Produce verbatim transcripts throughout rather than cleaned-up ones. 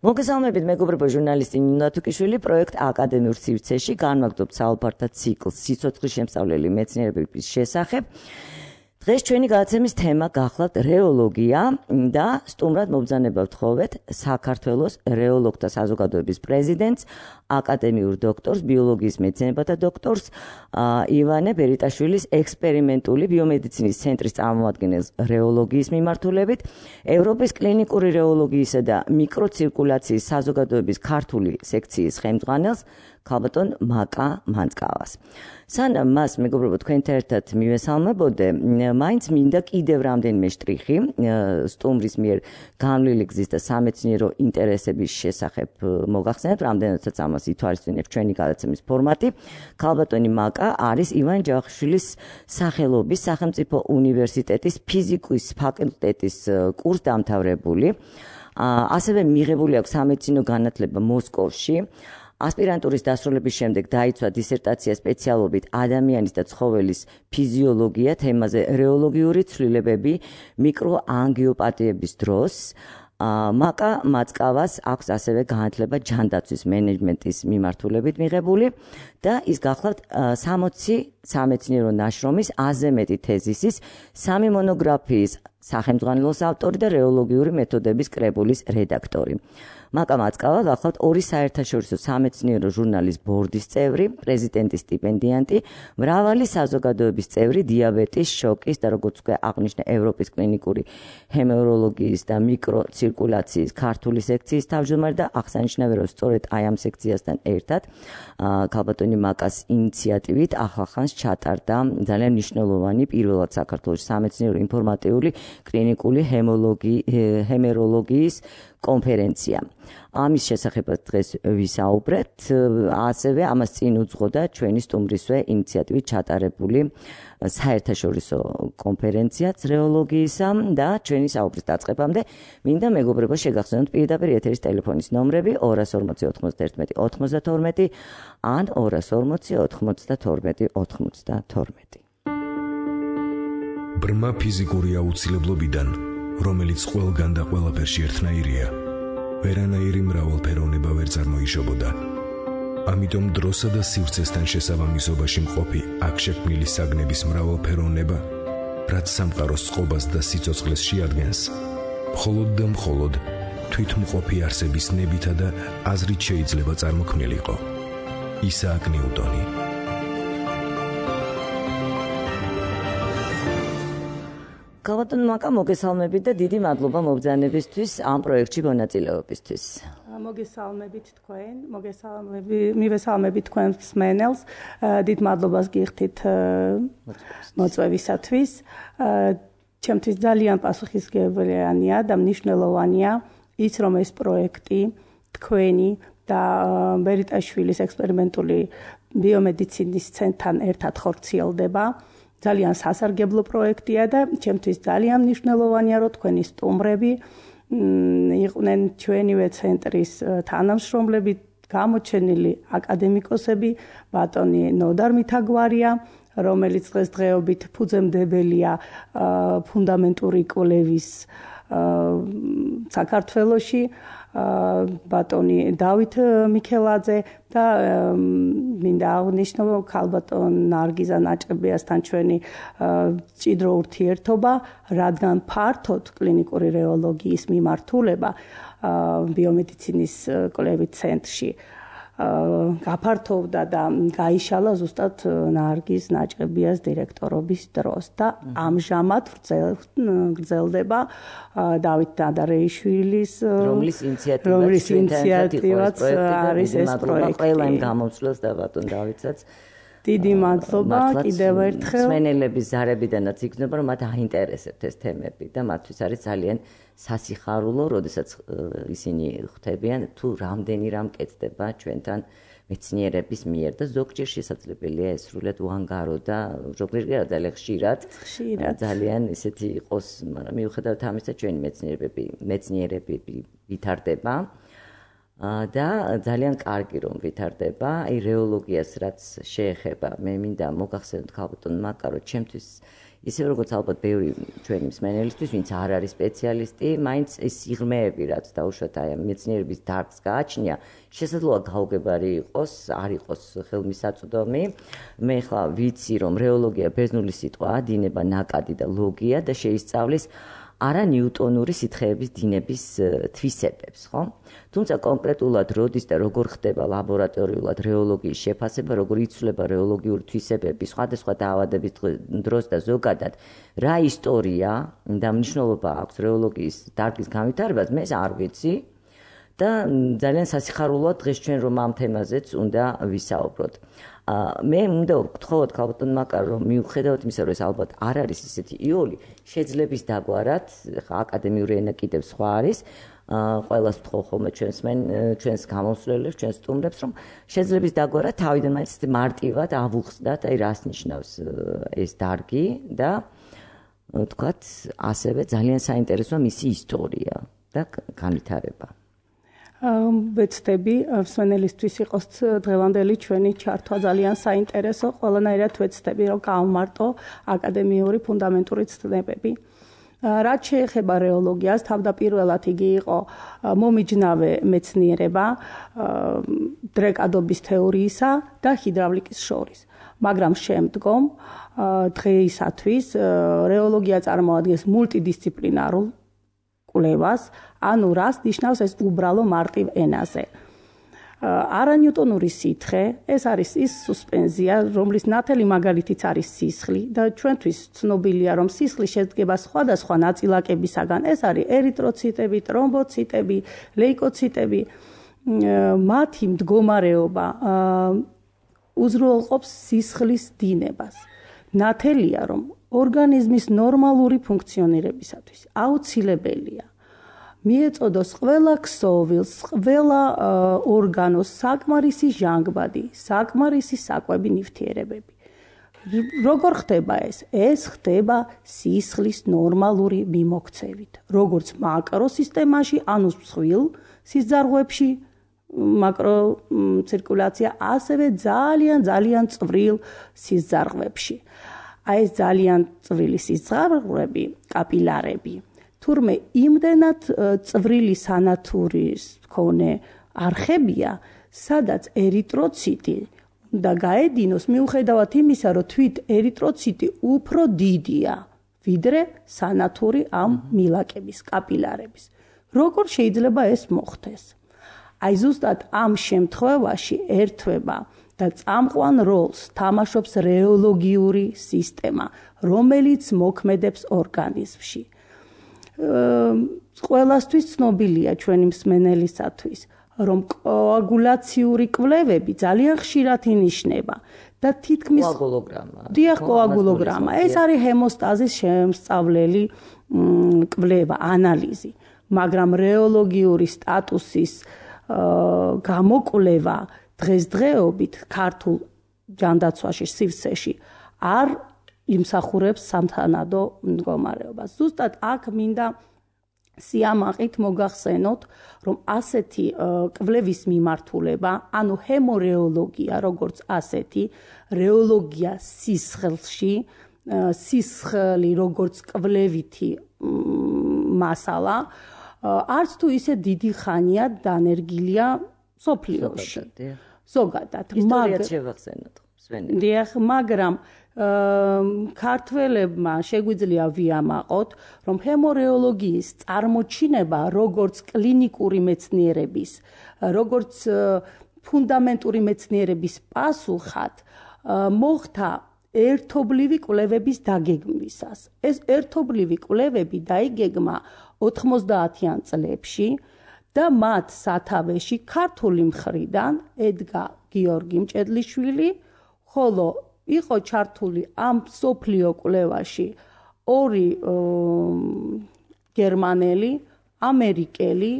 მოგესალმებით მეგობრებო, ჟურნალისტი ნინო თუკიშვილი პროექტ აკადემიურ სივრცეში განვაგრძობთ საუბართა ციკლს სიცოცხლის შემსწავლელი მეცნიერების შესახებ. დღეს ჩვენი გადაცემის თემა გახლავთ რეოლოგია და სტუმრად მობრძანება ვთხოვეთ საქართველოს რეოლოგთა საზოგადოების პრეზიდენტს, აკადემიურ დოქტორს, ბიოლოგიის მეცნიერებათა დოქტორს ივანე ბერიტაშვილის ექსპერიმენტული ბიომედიცინის ცენტრის წარმომადგენელს რეოლოგიის მიმართულებით, ევროპის კლინიკური რეოლოგიისა და მიკროცირკულაციის საზოგადოების ქართული სექციის ხელმძღვანელს ქალბატონ მაკა მანწკავას. სანამ მას მეგობრებო თქვენთან ერთად მივესალმებოდე, მაინც მინდა კიდევ რამდენიმე შტრიხი სტუმრის მიერ განვლილი გზის და სამეცნიერო ინტერესების შესახებ მოგახსენებთ, რამდენადაც ამას ითვალისწინებს ჩვენი გადაცემის ფორმატი. ქალბატონი მაკა არის ივან ჯავახიშვილის სახელობის სახელმწიფო უნივერსიტეტის ფიზიკის ფაკულტეტის კურსდამთავრებული, ასევე მიღებული აქვს სამეცნიერო განათლება მოსკოვში. ასპირანტურის დასრულების შემდეგ დაიცვა დისერტაცია სპეციალობით ადამიანის და ცხოველის ფიზიოლოგია თემაზე რეოლოგიური ცვლილებები მიკროანგიოპათიების დროს. მაკა მანწკავას აქვს ასევე განათლება ჯანდაცვის მენეჯმენტის მიმართულებით მიღებული და ის გახლავთ სამოცი სამეცნიერო ნაშრომის, აზე მეტი თეზისის, სამი მონოგრაფიის სახელმძღვანელოს ავტორი და რეოლოგიური მეთოდების კრებულის რედაქტორი. მაკა მანწკავა გახლავთ ორი საერთაშორისო სამეცნიერო ჟურნალის ბორდის წევრი, პრეზიდენტის სტიპენდიანტი, მრავალი საზოგადოების წევრი, დიაბეტის, შოკის და როგორც უკვე აღნიშნე ევროპის კლინიკური ჰემოროლოგიის და მიკროცირკულაციის ქართული სექციის თავმჯდომარე და აღსანიშნავია, რომ სწორედ აი ამ სექციასთან ერთად ქალბატონი მაკას ინიციატივით ახლახანს ჩატარდა ძალიან მნიშვნელოვანი პირველად საქართველოს სამეცნიერო ინფორმატიული კლინიკური ჰემოროლოგიის კონფერენცია. ამის შესახებაც დღეს ვისაუბრეთ, ასევე ამას წინ უძღოდა ჩვენი სტუმრისვე ინიციატივით ჩატარებული საერთაშორისო კონფერენციაც რეოლოგიისა და ჩვენი საუბრის დაწყებამდე მინდა მეგობრებო შეგახსენოთ პირდაპირ ეთერის ტელეფონის ნომრები ორას ორმოცი ოთხმოცდაერთმეტი ოთხმოცდათორმეტი ან ორას ორმოცი ოთხმოცდათორმეტი ოთხმოცდათორმეტი. ბრმა ფიზიკური აუცილებლობიდან, რომელიც ყველგან და ყველაფერში ერთნაირია, ვერანაირი მრავალფეროვნება ვერ წარმოიშობოდა. ამიტომ დროსა და სივრცესთან შესაბამისობაში მყოფი აქ შექმნილი საგნების მრავალფეროვნება, რაც სამყაროს წყობას და სიცოცხლეს შეადგენს, მხოლოდ და მხოლოდ თვითმყოფი არსების ნებითა და აზრით შეიძლება წარმოქმნილიყო. ისააკ ნიუტონი. ქალბატონ მაკა, მოგესალმებით და დიდი მადლობა მობრძანებისთვის ამ პროექტში მონაწილეობისთვის. მოგესალმებით თქვენ, მივესალმებით თქვენ მსმენელს, დიდ მადლობას გიხდით მოწვევისათვის. ჩემთვის ძალიან პასუხისმგებელია და მნიშვნელოვანია ის, რომ ეს პროექტი თქვენი და ბერიტაშვილის ექსპერიმენტული ბიომედიცინის ცენტრთან ერთად ხორციელდება. ძალიან სასარგებლო პროექტია და ჩემთვის ძალიან მნიშვნელოვანია, რომ თქვენი სტუმრები იყვნენ ჩვენივე ცენტრის თანამშრომლები, გამოჩენილი აკადემიკოსები, ბატონი ნოდარ მითაგვარია, რომელიც დღესდღეობით ფუძემდებელია ფუნდამენტური კვლევის საქართველოში, ბატონი დავით მიქელაძე და მინდა აღნიშნო ქალბატონ ნარგიზა ნაჭებიასთან ჩვენი მჭიდრო ურთიერთობა, რადგან ფართოდ კლინიკური რეოლოგიის მიმართულება ბიომედიცინის კვლევით ცენტრში გაფართოვდა და გაიშალა ზუსტად ნარგიზ ნაჭებიას დირექტორობის დროს და ამჟამად გრძელდება დავით ნადარეიშვილის რომლის ინიციატივაც არის ეს პროექტი. ყველა იმ გამომცვლელს და ბატონ დავითსაც დიდი მადლობა კიდევ ერთხელ. მსმენელების ზარებიდანაც იქნება, რომ მათ აინტერესებთ ეს თემები და მათთვის არის ძალიან სასიხარულო, როდესაც ისინი ხვდებიან თუ რამდენი რამ კეთდება ჩვენთან მეცნიერების მიერ და ზოგჯერ შესაძლებელია ეს სრულად უანგარო და ზოგჯერ ძალიან ხშირად ძალიან ისეთი იყოს, მაგრამ მიუხედავად ამისა ჩვენი მეცნიერები მეცნიერები ვითარდება და ძალიან კარგი რომ ვითარდება. აი რეოლოგიას რაც შეეხება, მე მინდა მოგახსენოთ ქალბატონ მაკა, რომ ჩემთვის ისე როგორც ალბათ ბევრი ჩვენი მსმენელისთვის, ვინც არ არის სპეციალისტი, მაინც ეს სიღრმეები, რაც დაუშვათ აი ამ მეცნიერების დარგს გააჩნია, შესაძლოა გაუგებარი იყოს, არ იყოს ხელმისაწვდომი. მე ხლა ვიცი, რომ რეოლოგია ბერძნული სიტყვაა, დინება ნაკადი და ლოგია და შეისწავლის არა ნიუტონური სითხეების დინების თვისებებს, ხო? თუმცა კონკრეტულად როდის და როგორ ხდება ლაბორატორიულად რეოლოგიის შეფასება, როგორ იცვლება რეოლოგიური თვისებები სხვადასხვა დაავადების დროს და ზოგადად რა ისტორია და მნიშვნელობა აქვს რეოლოგიის დარგის განვითარებას, მე არ ვიცი და ძალიან სასიხარულოა დღეს ჩვენ რომ ამ თემაზეც უნდა ვისაუბროთ. მე უნდა ვთხოვოთ ქალბატონ მაკარ რომ მიუხედავად იმისა რომ ეს ალბათ არ არის ისეთი იოლი შეძლების დაგვარად აკადემიური ენა კიდევ სხვა არის ყველას ვთხოვ ხოლმე ჩვენს მენ ჩვენს გამოსვლელებს ჩვენს სტუმრებს რომ შეძლების დაგვარად თავიდან მაინც მარტივად ავუხსნათ აი რას ნიშნავს ეს დარგი და თქვათ ასევე ძალიან საინტერესოა მისი ისტორია და განვითარება. ვეცდები მსმენელისთვის იყოს დღევანდელი ჩვენი ჩართვა ძალიან საინტერესო, ყველანაირად ვეცდები რომ გავმარტო აკადემიური ფუნდამენტური ცნებები. რაც შეეხება რეოლოგიას, თავდაპირველად იგი იყო მომიჯნავე მეცნიერება დრეკადობის თეორიისა და ჰიდრავლიკის შორის. მაგრამ შემდგომ დღეისათვის რეოლოგია წარმოადგენს მულტიდისციპლინარულ კვლევას, ანუ რას ნიშნავს ეს უბრალო მარტივ ენაზე. არანიუტონური სითხე, ეს არის ის სუსპენზია, რომლის ნათელი მაგალითიც არის სისხლი და ჩვენთვის ცნობილია, რომ სისხლი შედგება სხვადასხვა ნაწილაკებისაგან. ეს არის ერითროციტები, ტრომბოციტები, ლეიკოციტები. მათი მდგომარეობა უზრუნველყოფს სისხლის დინებას. ნათელია, რომ ორგანიზმის ნორმალური ფუნქციონირებისათვის აუცილებელია მიეწოდოს ყველა ქსოვილს, ყველა ორგანოს საკმარისი ჟანგბადი, საკმარისი საკვები ნივთიერებები. როგორ ხდება ეს? ეს ხდება სისხლის ნორმალური მიმოქცევით. როგორც მაკროსისტემაში, ანუ მსხვილ სიზარღვებში, მაკროცირკულაცია, ასევე ძალიან ძალიან წვრილ სიზარღვებში. აი ეს ძალიან წვრილი სიზარღვები, კაპილარები, თურმე იმდენად წვრილი სანათურის მქონე არხებია, სადაც ერითროციტი უნდა გაედინოს, მიუხედავად იმისა, რომ თვით ერითროციტი უფრო დიდია, ვიდრე სანათური ამ მილაკების, კაპილარების. როგორ შეიძლება ეს მოხდეს? აი ზუსტად ამ შემთხვევაში ერთვება და წამყვან როლს თამაშობს რეოლოგიური სისტემა, რომელიც მოქმედებს ორგანიზმში. ყველასთვის ცნობილია ჩვენი მსმენელისათვის, რომ კოაგულაციური კვლევები ძალიან ხშირად ინიშნება და თითქმის კოაგულოგრამა. დიახ, კოაგულოგრამა. ეს არის ჰემოსტაზის შემსწავლელი კვლევა, ანალიზი, მაგრამ რეოლოგიური სტატუსის გამოკვლევა დღესდღეობით ქართულ ჯანდაცვაში, სივრცეში არ იმსახურებს სამთანადო მდგომარეობას. ზუსტად აქ მინდა სიამაყით მოგახსენოთ, რომ ასეთი კვლევის მიმართულება, ანუ ჰემორეოლოგია, როგორც ასეთი, რეოლოგია სისხლში, სისხლი როგორც კვლევითი მასალა, არც თუ ისე დიდი ხანია დანერგილია სოფლიოში. ზოგადად. ისტორიად შევახსენოთ. დიახ, მაგრამ ქართველებმა შეგვიძლია ვიამაყოთ, რომ ჰემორეოლოგიის წარმოჩინება როგორც კლინიკური მეცნიერების, როგორც ფუნდამენტური მეცნიერების პასუხად მოხდა ერთობლივი კვლევების დაგეგმვისას. ეს ერთობლივი კვლევები დაიგეგმა ოთხმოცდაათიან წლებში და მათ სათავეში ქართული მხრიდან ედგა გიორგი მჭედლიშვილი, ხოლო იყო ჩართული ამ სოფლიო კვლევაში ორი გერმანელი, ამერიკელი,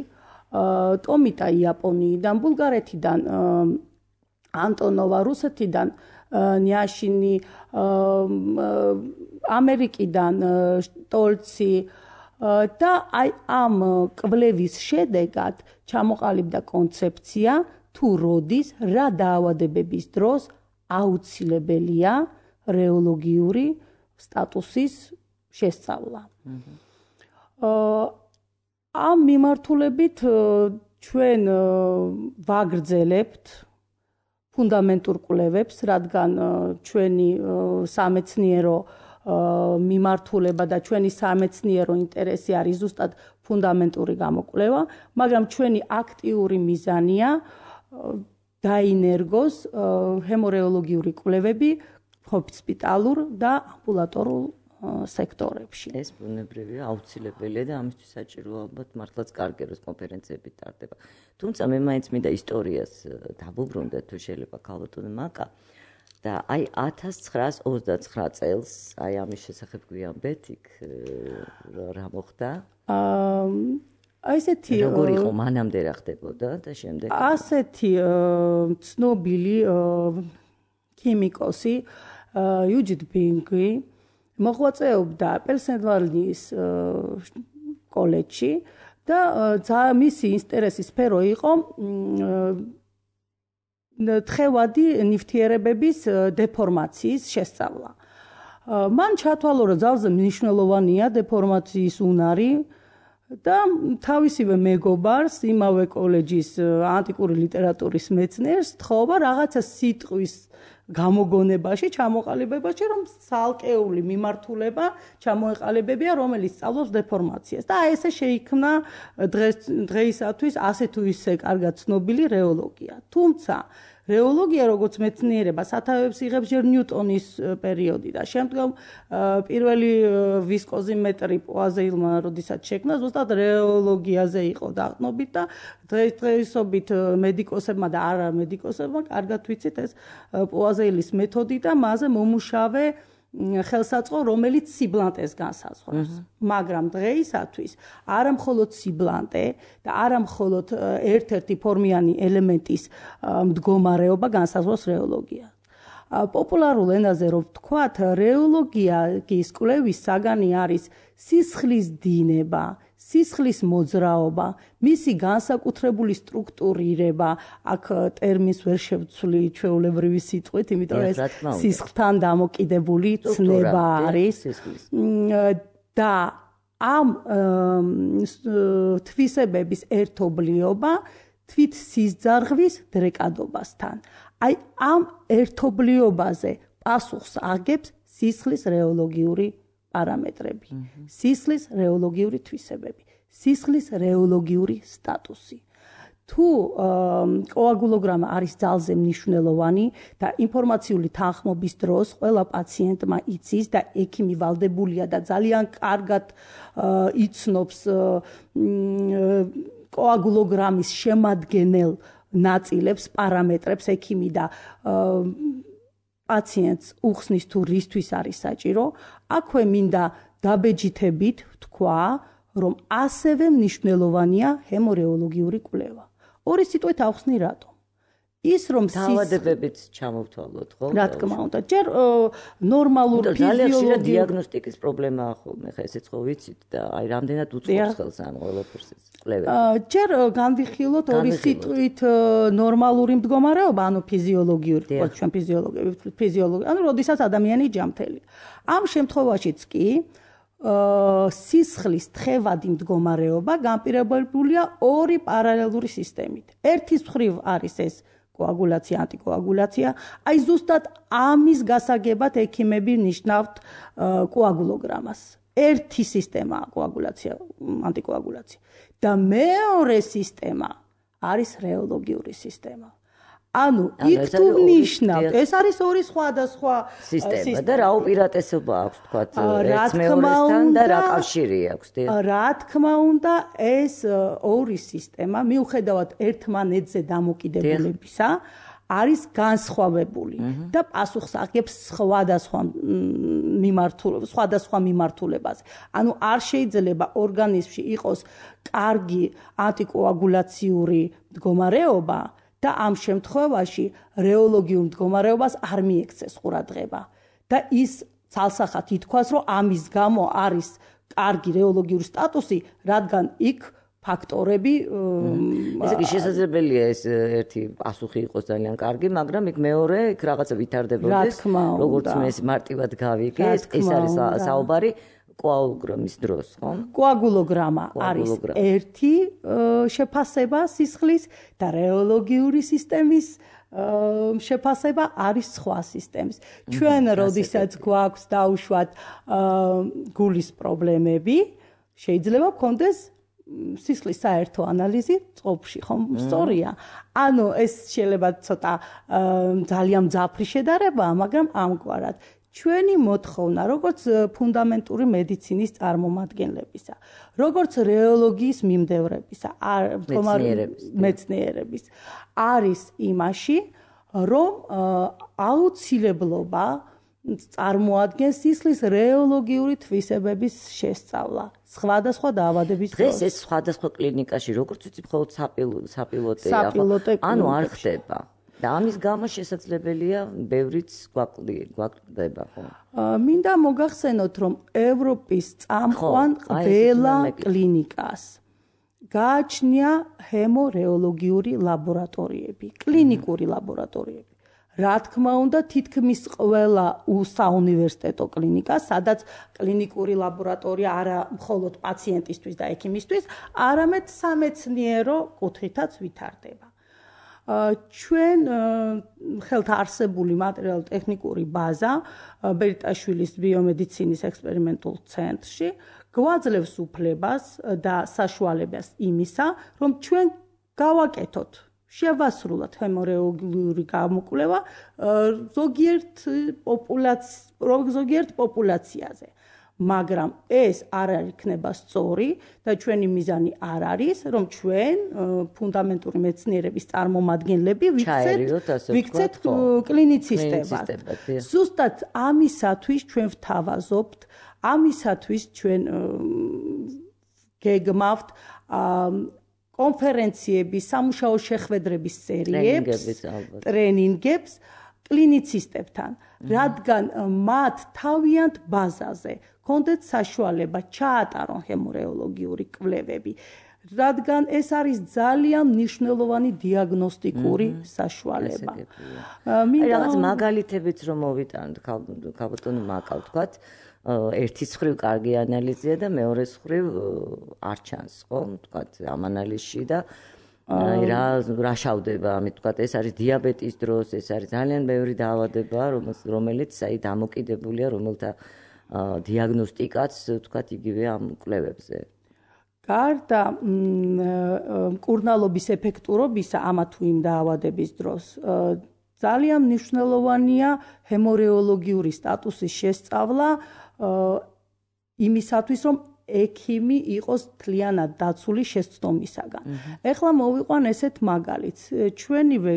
ტომიტა იაპონიიდან, ბულგარეთიდან ანტონოვა, რუსეთიდან ნიაშინი, ამერიკიდან შტოლცი და აი ამ კვლევის შედეგად ჩამოყალიბდა კონცეფცია, თუ როდის, რა დაავადებების დროს აუცილებელია რეოლოგიური სტატუსის შესწავლა. ამ მიმართულებით ჩვენ ვაგრძელებთ ფუნდამენტურ კვლევებს, რადგან ჩვენი სამეცნიერო მიმართულება და ჩვენი სამეცნიერო ინტერესი არის ზუსტად ფუნდამენტური გამოკვლევა, მაგრამ ჩვენი აქტიური მიზანია დაინერგოს ჰემორეოლოგიური კვლევები ჰოსპიტალურ და ამბულატორულ სექტორებში. ეს ბუნებრივია, აუცილებელია და ამისთვის საჭიროა ალბათ მართლაც კარგი როს კონფერენციები ტარდება. თუმცა მე მაინც მინდა ისტორიას დავუბრუნდეთ, თუ შეიძლება ქალბატონო მაკა და აი ათას ცხრაას ოცდაცხრა წელს, აი ამის შესახებ გვიამბეთ, იქ რა მოხდა? აა ესეთი როგორ იყო მანამდე რა ხდებოდა და შემდეგ? ასეთი ცნობილი ქიმიკოსი იუჯით ბინგი მოღვაწეობდა პენსილვანიის კოლეჯში და მისი ინტერესის სფერო იყო თხევადი ნივთიერებების დეფორმაციის შესწავლა. მან ჩათვალა, რომ ძალზე მნიშვნელოვანია დეფორმაციის უნარი და თავისივე მეგობარს, იმავე კოლეჯის ანტიკური ლიტერატურის მეცნიერს თხოვა რაღაცა სიტყვის გამოგონებაში, ჩამოყალიბებაში, რომ ცალკეული მიმართულება ჩამოეყალიბებია, რომელიც სწავლობს დეფორმაციას. და ესე შეიქმნა დღეისათვის ასე თუ ისე კარგად ცნობილი რეოლოგია. თუმცა რეოლოგია, როგორც მეცნიერება, სათავეებს იღებს ჯერ ნიუტონის პერიოდი და შემდგომ პირველი ვისკოზიმეტრი პუაზეილმა როდესაც შექმნა, ზუსტად რეოლოგიაზე იყო დაყრდნობით და დღესდღეობით მედიკოსებმა და არა მედიკოსებმა კარგად ვიცით ეს პუაზეილის მეთოდი და მასზე მომუშავე ხელსაწყო, რომელიც სიბლანტეს განსაზღვრავს. მაგრამ დღეისათვის არა მხოლოდ სიბლანტე და არა მხოლოდ ერთ-ერთი ფორმიანი ელემენტის მდგომარეობა განსაზღვრავს რეოლოგია. პოპულარულ ენაზე რომ ვთქვათ, რეოლოგიის კვლევის საგანი არის სისხლის დინება, სისხლის მოძრაობა, მისი განსაკუთრებული სტრუქტურირება, აქ ტერმინს ვერ შევცვლი ჩვეულებრივი სიტყვით, იმიტომ ეს სისხლთან დამოკიდებული ცნება არის და ამ თვისებების ერთობლიობა თვით სისძარღვის დრეკადობასთან. აი ამ ერთობლიობაზე პასუხს აგებს სისხლის რეოლოგიური პარამეტრები, სისხლის რეოლოგიური თვისებები, სისხლის რეოლოგიური სტატუსი. თუ კოაგულოგრამა არის ძალზე მნიშვნელოვანი და ინფორმაციული თანხმობის დროს ყველა პაციენტმა იცის და ექიმი ვალდებულია და ძალიან კარგად იცნობს კოაგულოგრამის შემადგენელ ნაწილებს, პარამეტრებს ექიმი და პაციენტს უხსნის თუ რისთვის არის საჭირო, აქვე მინდა დაბეჯითებით ვთქვა, რომ ასევე მნიშვნელოვანია ჰემორეოლოგიური კვლევა. ორი სიტყვით ავხსნი რატომ? ის რომ დაავადებებით ჩამოვთვალოთ, ხო? რა თქმა უნდა, ჯერ ნორმალურ ფიზიოლოგიურ დიაგნოსტიკის პრობლემაა ხოლმე, ხა ესეც ხო ვიცით და აი რამდენად უწყობს ხელს ამ ყველაფერს კვლევები. ჯერ განვიხილოთ ორი სიტყვით ნორმალური მდგომარეობა, ანუ ფიზიოლოგიური, ხო, ჩვენ ფიზიოლოგები, ფიზიოლოგი, ანუ როდესაც ადამიანი ჯანმრთელია. ამ შემთხვევაშიც კი სისხლის თხევადი მდგომარეობა განპირობებულია ორი პარალელური სისტემით. ერთის მხრივ არის ეს კოაგულაცია, ანტიკოაგულაცია, აი ზუსტად ამის გასაგებად ექიმები ნიშნავთ კოაგულოგრამას. ერთი სისტემაა კოაგულაცია, ანტიკოაგულაცია და მეორე სისტემა არის რეოლოგიური სისტემა. ანუ იქ თუ ნიშნავთ, ეს არის ორი სხვადასხვა სისტემა და რა უპირატესობა აქვს თქვათ ერთ მეორესთან და რა კავშირი აქვს? რა თქმა უნდა, ეს ორი სისტემა მიუხედავად ერთმანეთზე დამოკიდებულებისა არის განსხვავებული და პასუხს აგებს სხვადასხვა მიმართულებას, სხვადასხვა მიმართულებაზე. ანუ არ შეიძლება ორგანიზმში იყოს კარგი ანტიკოაგულაციური მდგომარეობა და ამ შემთხვევაში რეოლოგიურ მდგომარეობას არ მიექცეს ყურადღება და ის ცალსახად ითქვას, რომ ამის გამო არის კარგი რეოლოგიური სტატუსი, რადგან იქ ფაქტორები ესე იგი შესაძლებელია ეს ერთი პასუხი იყოს ძალიან კარგი, მაგრამ იქ მეორე იქ რაღაცა ვითარდებოდეს, როგორც მე ეს მარტივად გავიგე, ეს არის საუბარი კოაგულოგრამის დროს, ხო? კოაგულოგრამა არის ერთი შეფასება სისხლის და რეოლოგიური სისტემის შეფასება არის სხვა სისტემის. ჩვენ როდესაც გვაქვს დაუშვათ გულის პრობლემები, შეიძლება გქონდეს სისხლის საერთო ანალიზი წყობში, ხო? სწორია. ანუ ეს შეიძლება ცოტა ძალიან მძაფრი შედარებაა, მაგრამ ამგვარად ჩვენი მოთხოვნა, როგორც ფუნდამენტური მედიცინის წარმომადგენლებისა, როგორც რეოლოგიის მიმდევრებისა, მეცნიერების, არის იმაში, რომ აუცილებლობა წარმოადგენს სისხლის რეოლოგიური თვისებების შესწავლა, სხვადასხვა დაავადების დროს. დღეს ეს სხვადასხვა კლინიკაში, როგორც ვიცი, მხოლოდ საპილოტეა, ანუ არ ხდება. და ამის გამო შესაძლებელია ბევრიც გვაკლდება, ხო? მინდა მოგახსენოთ, რომ ევროპის წამყვან ყველა კლინიკას გააჩნია ჰემორეოლოგიური ლაბორატორიები, კლინიკური ლაბორატორიები. რა თქმა უნდა, თითქმის ყველა საუნივერსიტეტო კლინიკა, სადაც კლინიკური ლაბორატორია არა მხოლოდ პაციენტისთვის და ექიმისთვის, არამედ სამეცნიერო კუთხითაც ვითარდება. ჩვენ ხელთ არსებული მატერიალურ-ტექნიკური ბაზა ბერიტაშვილის ბიომედიცინის ექსპერიმენტულ ცენტრში გვაძლევს უფლებას და საშუალებას იმისა, რომ ჩვენ გავაკეთოთ, შევასრულოთ ჰემორეოლოგიური გამოკვლევა ზოგიერთ ზოგიერთ პოპულაციაზე. მაგრამ ეს არ იქნება სწორი და ჩვენი მიზანი არ არის, რომ ჩვენ ფუნდამენტური მეცნიერების წარმომადგენლები ვიქცეთ კლინიცისტებას. ზუსტად ამისათვის ჩვენ ვთავაზობთ, ამისათვის ჩვენ გეგმავთ კონფერენციების, სამუშაო შეხვედრების სერიებს, ტრენინგებს კლინიცისტებთან, რადგან მათ თავიანთ ბაზაზე კონდეთ საშუალება ჩაატარონ ჰემორეოლოგიური კვლევები, რადგან ეს არის ძალიან მნიშვნელოვანი დიაგნოსტიკური საშუალება. რაღაც მაგალითებიც რომ მოვიტანოთ, ქალბატონო მაკა ვთქვათ, ერთის მხრივ კარგი ანალიზია და მეორეს მხრივ არ ჩანს, ხო? ვთქვათ, ამ ანალიზში და რა რა შავდება, ამით ვთქვათ, ეს არის დიაბეტის დროს, ეს არის ძალიან ბევრი დაავადება, რომელიც აი დამოკიდებულია, რომელთა დიაგნოსტიკაც, ვთქვათ, იგივე ამ კვლევებზე. გარდა მკურნალობის ეფექტურობისა ამა თუ იმ დაავადების დროს, ძალიან მნიშვნელოვანია ჰემორეოლოგიური სტატუსის შესწავლა იმისათვის, რომ ექიმი იყოს თლიანად დაცული შეცდომისაგან. ეხლა მოვიყვან ესეთ მაგალითს. ჩვენივე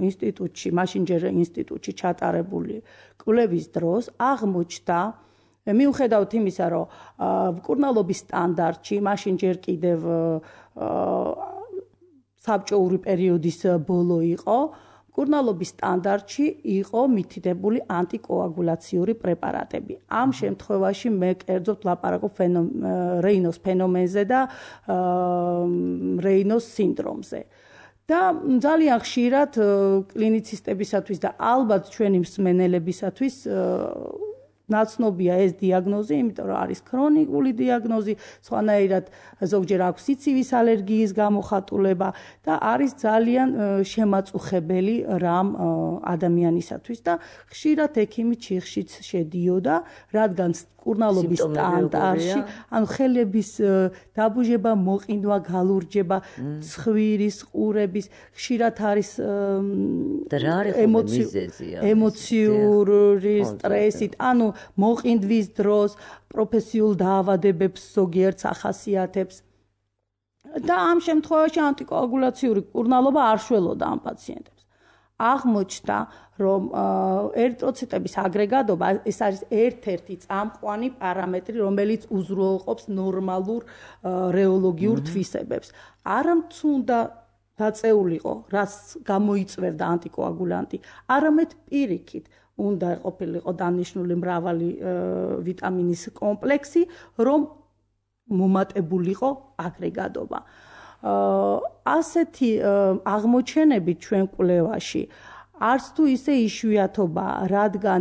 ინსტიტუტში, მაშინჯერ ინსტიტუტში ჩატარებული კვლევის დროს აღმოჩნდა, მიუხედავად იმისა, რომ მკურნალობის სტანდარტში მაშინჯერ კიდევ საბჭოური პერიოდის ბოლო იყო, მკურნალობის სტანდარტში იყო მითითებული ანტიკოაგულაციური პრეპარატები. ამ შემთხვევაში მე კერძოდ ვლაპარაკობ რეინოს ფენომენზე და რეინოს სინდრომზე. და ძალიან ხშირად კლინიცისტებისათვის და ალბათ ჩვენი მსმენელებისათვის ნაცნობია ეს დიაგნოზი, იმიტომ რომ არის ქრონიკული დიაგნოზი, სხვანაირად ზოგჯერ აქვს სიცივის ალერგიის გამოხატულება და არის ძალიან შემაწუხებელი რამ ადამიანისათვის და ხშირად ექიმი ჩიხშიც შედიოდა, რადგან მკურნალობის სტანდარტში, ანუ ხელების დაბუჟება, მოყინვა, galurjeba, ცხვირის, ყურების, ხშირად არის ემოციური სტრესით, ანუ მოყინდვის დროს პროფესიულ დაავადებებს ზოგიერთ ახასიათებს. და ამ შემთხვევაში ანტიკოაგულაციური მკურნალობა არ შველოდა ამ პაციენტებს. აღმოჩნდა, რომ ერითროციტების აგრეგატობა ეს არის ერთ-ერთი წამყვანი პარამეტრი, რომელიც უზრუნველყოფს ნორმალურ რეოლოგიურ თვისებებს. არამთუნდა დაწეულიყო, რაც გამოიწვევდა ანტიკოაგულანტი, არამედ პირიქით უნდა ყოფილიყო დანიშნული მრავალი ვიტამინის კომპლექსი, რომ მომატებულიყო აგრეგატობა. ასეთი აღმოჩენები ჩვენ კვლევაში არც თუ ისე იშვიათობაა, რადგან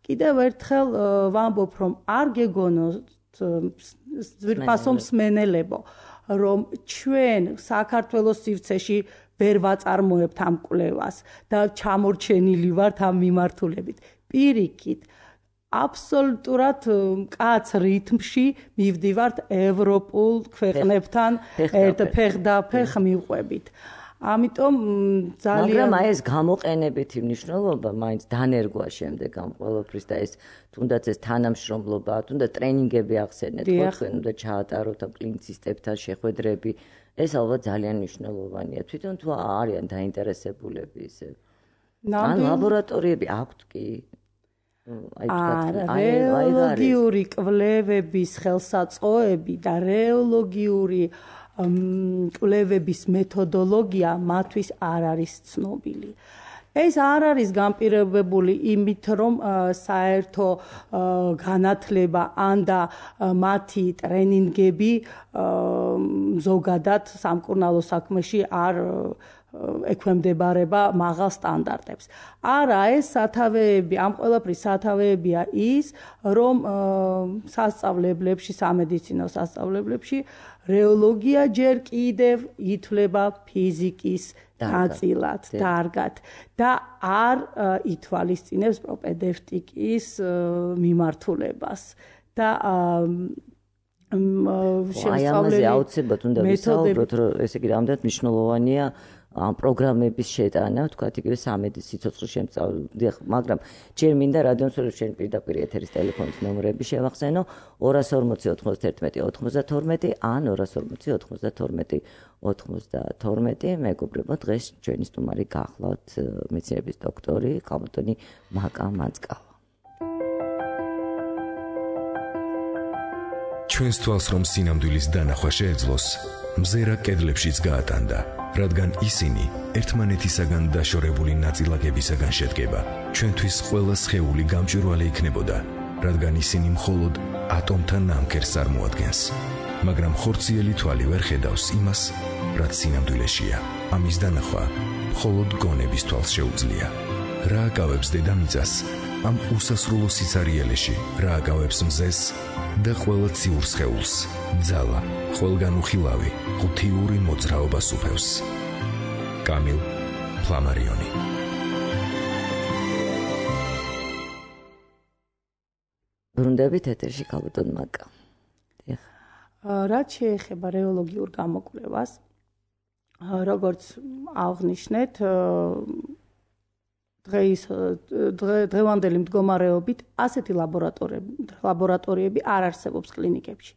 კიდევ ერთხელ ვამბობ, რომ არ გეგონოთ ძვირფასო მსმენელებო, რომ ჩვენ საქართველოს სივრცეში ვერ ვაწარმოებთ ამ კვლევას და ჩამორჩენილი ვართ ამ მიმართულებით. პირიქით, აბსოლუტურად მკაც რითმში მივდივართ ევროპულ ქვეყნებთან ერთ ფეხდაფეხ მივყვებით. ამიტომ ძალიან მაგრამ აი ეს გამოყენებითი მნიშვნელობა მაინც დანერგვა შემდეგ ამ ყველაფრის და ეს თუნდაც ეს თანამშრომლობა, თუნდაც ტრენინგები ახსენეთ, თქვენ უნდა ჩაატაროთ ამ კლინიცისტებთან შეხვედრები, ეს ალბათ ძალიან მნიშვნელოვანია. თვითონ თუ არიან დაინტერესებულები ისე. ან ლაბორატორიები აქვთ კი? რეოლოგიური კვლევების ხელსაწყოები და რეოლოგიური კვლევების მეთოდოლოგია მათთვის არ არის ცნობილი. ეს არ არის განპირობებული იმით, რომ საერთო განათლება ან და მათი ტრენინგები ზოგადად სამკურნალო საქმეში არ ექვემდებარება მაღალ სტანდარტებს. არა, ეს სათავეები, ამ ყველაფრის სათავეებია ის, რომ სასწავლებლებში, სამედიცინო სასწავლებლებში რეოლოგია ჯერ კიდევ ითვლება ფიზიკის ნაწილად, დარგად და არ ითვალისწინებს პროპედევტიკის მიმართულებას და შესწავლელი აუცილებლად უნდა ვისაუბროთ, რომ ესე იგი რამდენად მნიშვნელოვანია ამ პროგრამების შეტანა, თქვათ იგივე სამედიცინო სიცოცხლის შემსწავლელი, მაგრამ ჯერ მინდა რადიოსურველი შენ პირდაპირ ეთერის ტელეფონის ნომრები შევახსენო ორას ორმოცი ოცდაერთმეტი ოცდათორმეტი ან ორას ორმოცი ოცდათორმეტი ოცდათორმეტი. მეგობრებო, დღეს ჩვენი სტუმარი გახლავთ მეცნიერების დოქტორი ქალბატონი მაკა მანძკავა. ჩვენს თვალს რომ სინამდვილის დანახვა შეეძლოს, მზერა კედლებშიც გაატანდა, რადგან ისინი ერთმანეთისაგან დაშორებული ნაწილაკებისაგან შედგება. ჩვენთვის ყველა სხეული გამჭვირვალე იქნებოდა, რადგან ისინი მხოლოდ ატომთან ნამქერს წარმოადგენს. მაგრამ ხორციელი თვალი ვერ ხედავს იმას, რაც სინამდვილეშია. ამის დანახვა მხოლოდ გონების თვალს შეუძლია. რა აკავებს დედამიწას ამ უსასრულო სიცარიელეში, რა აკავებს მზეს და ყველა ციურ სხეულს, ძალა, ყველგან უხილავი, ღუთიური მოძრაობა სუფევს. კამილ ფლამარიონი. ბრუნდებით ეთერში ქალბატონ მაკა. რაც შეეხება რეოლოგიურ გამოკვლევას, როგორც აღნიშნეთ, დღეის დღევანდელი მდგომარეობით ასეთი ლაბორატორიები არ არსებობს კლინიკებში.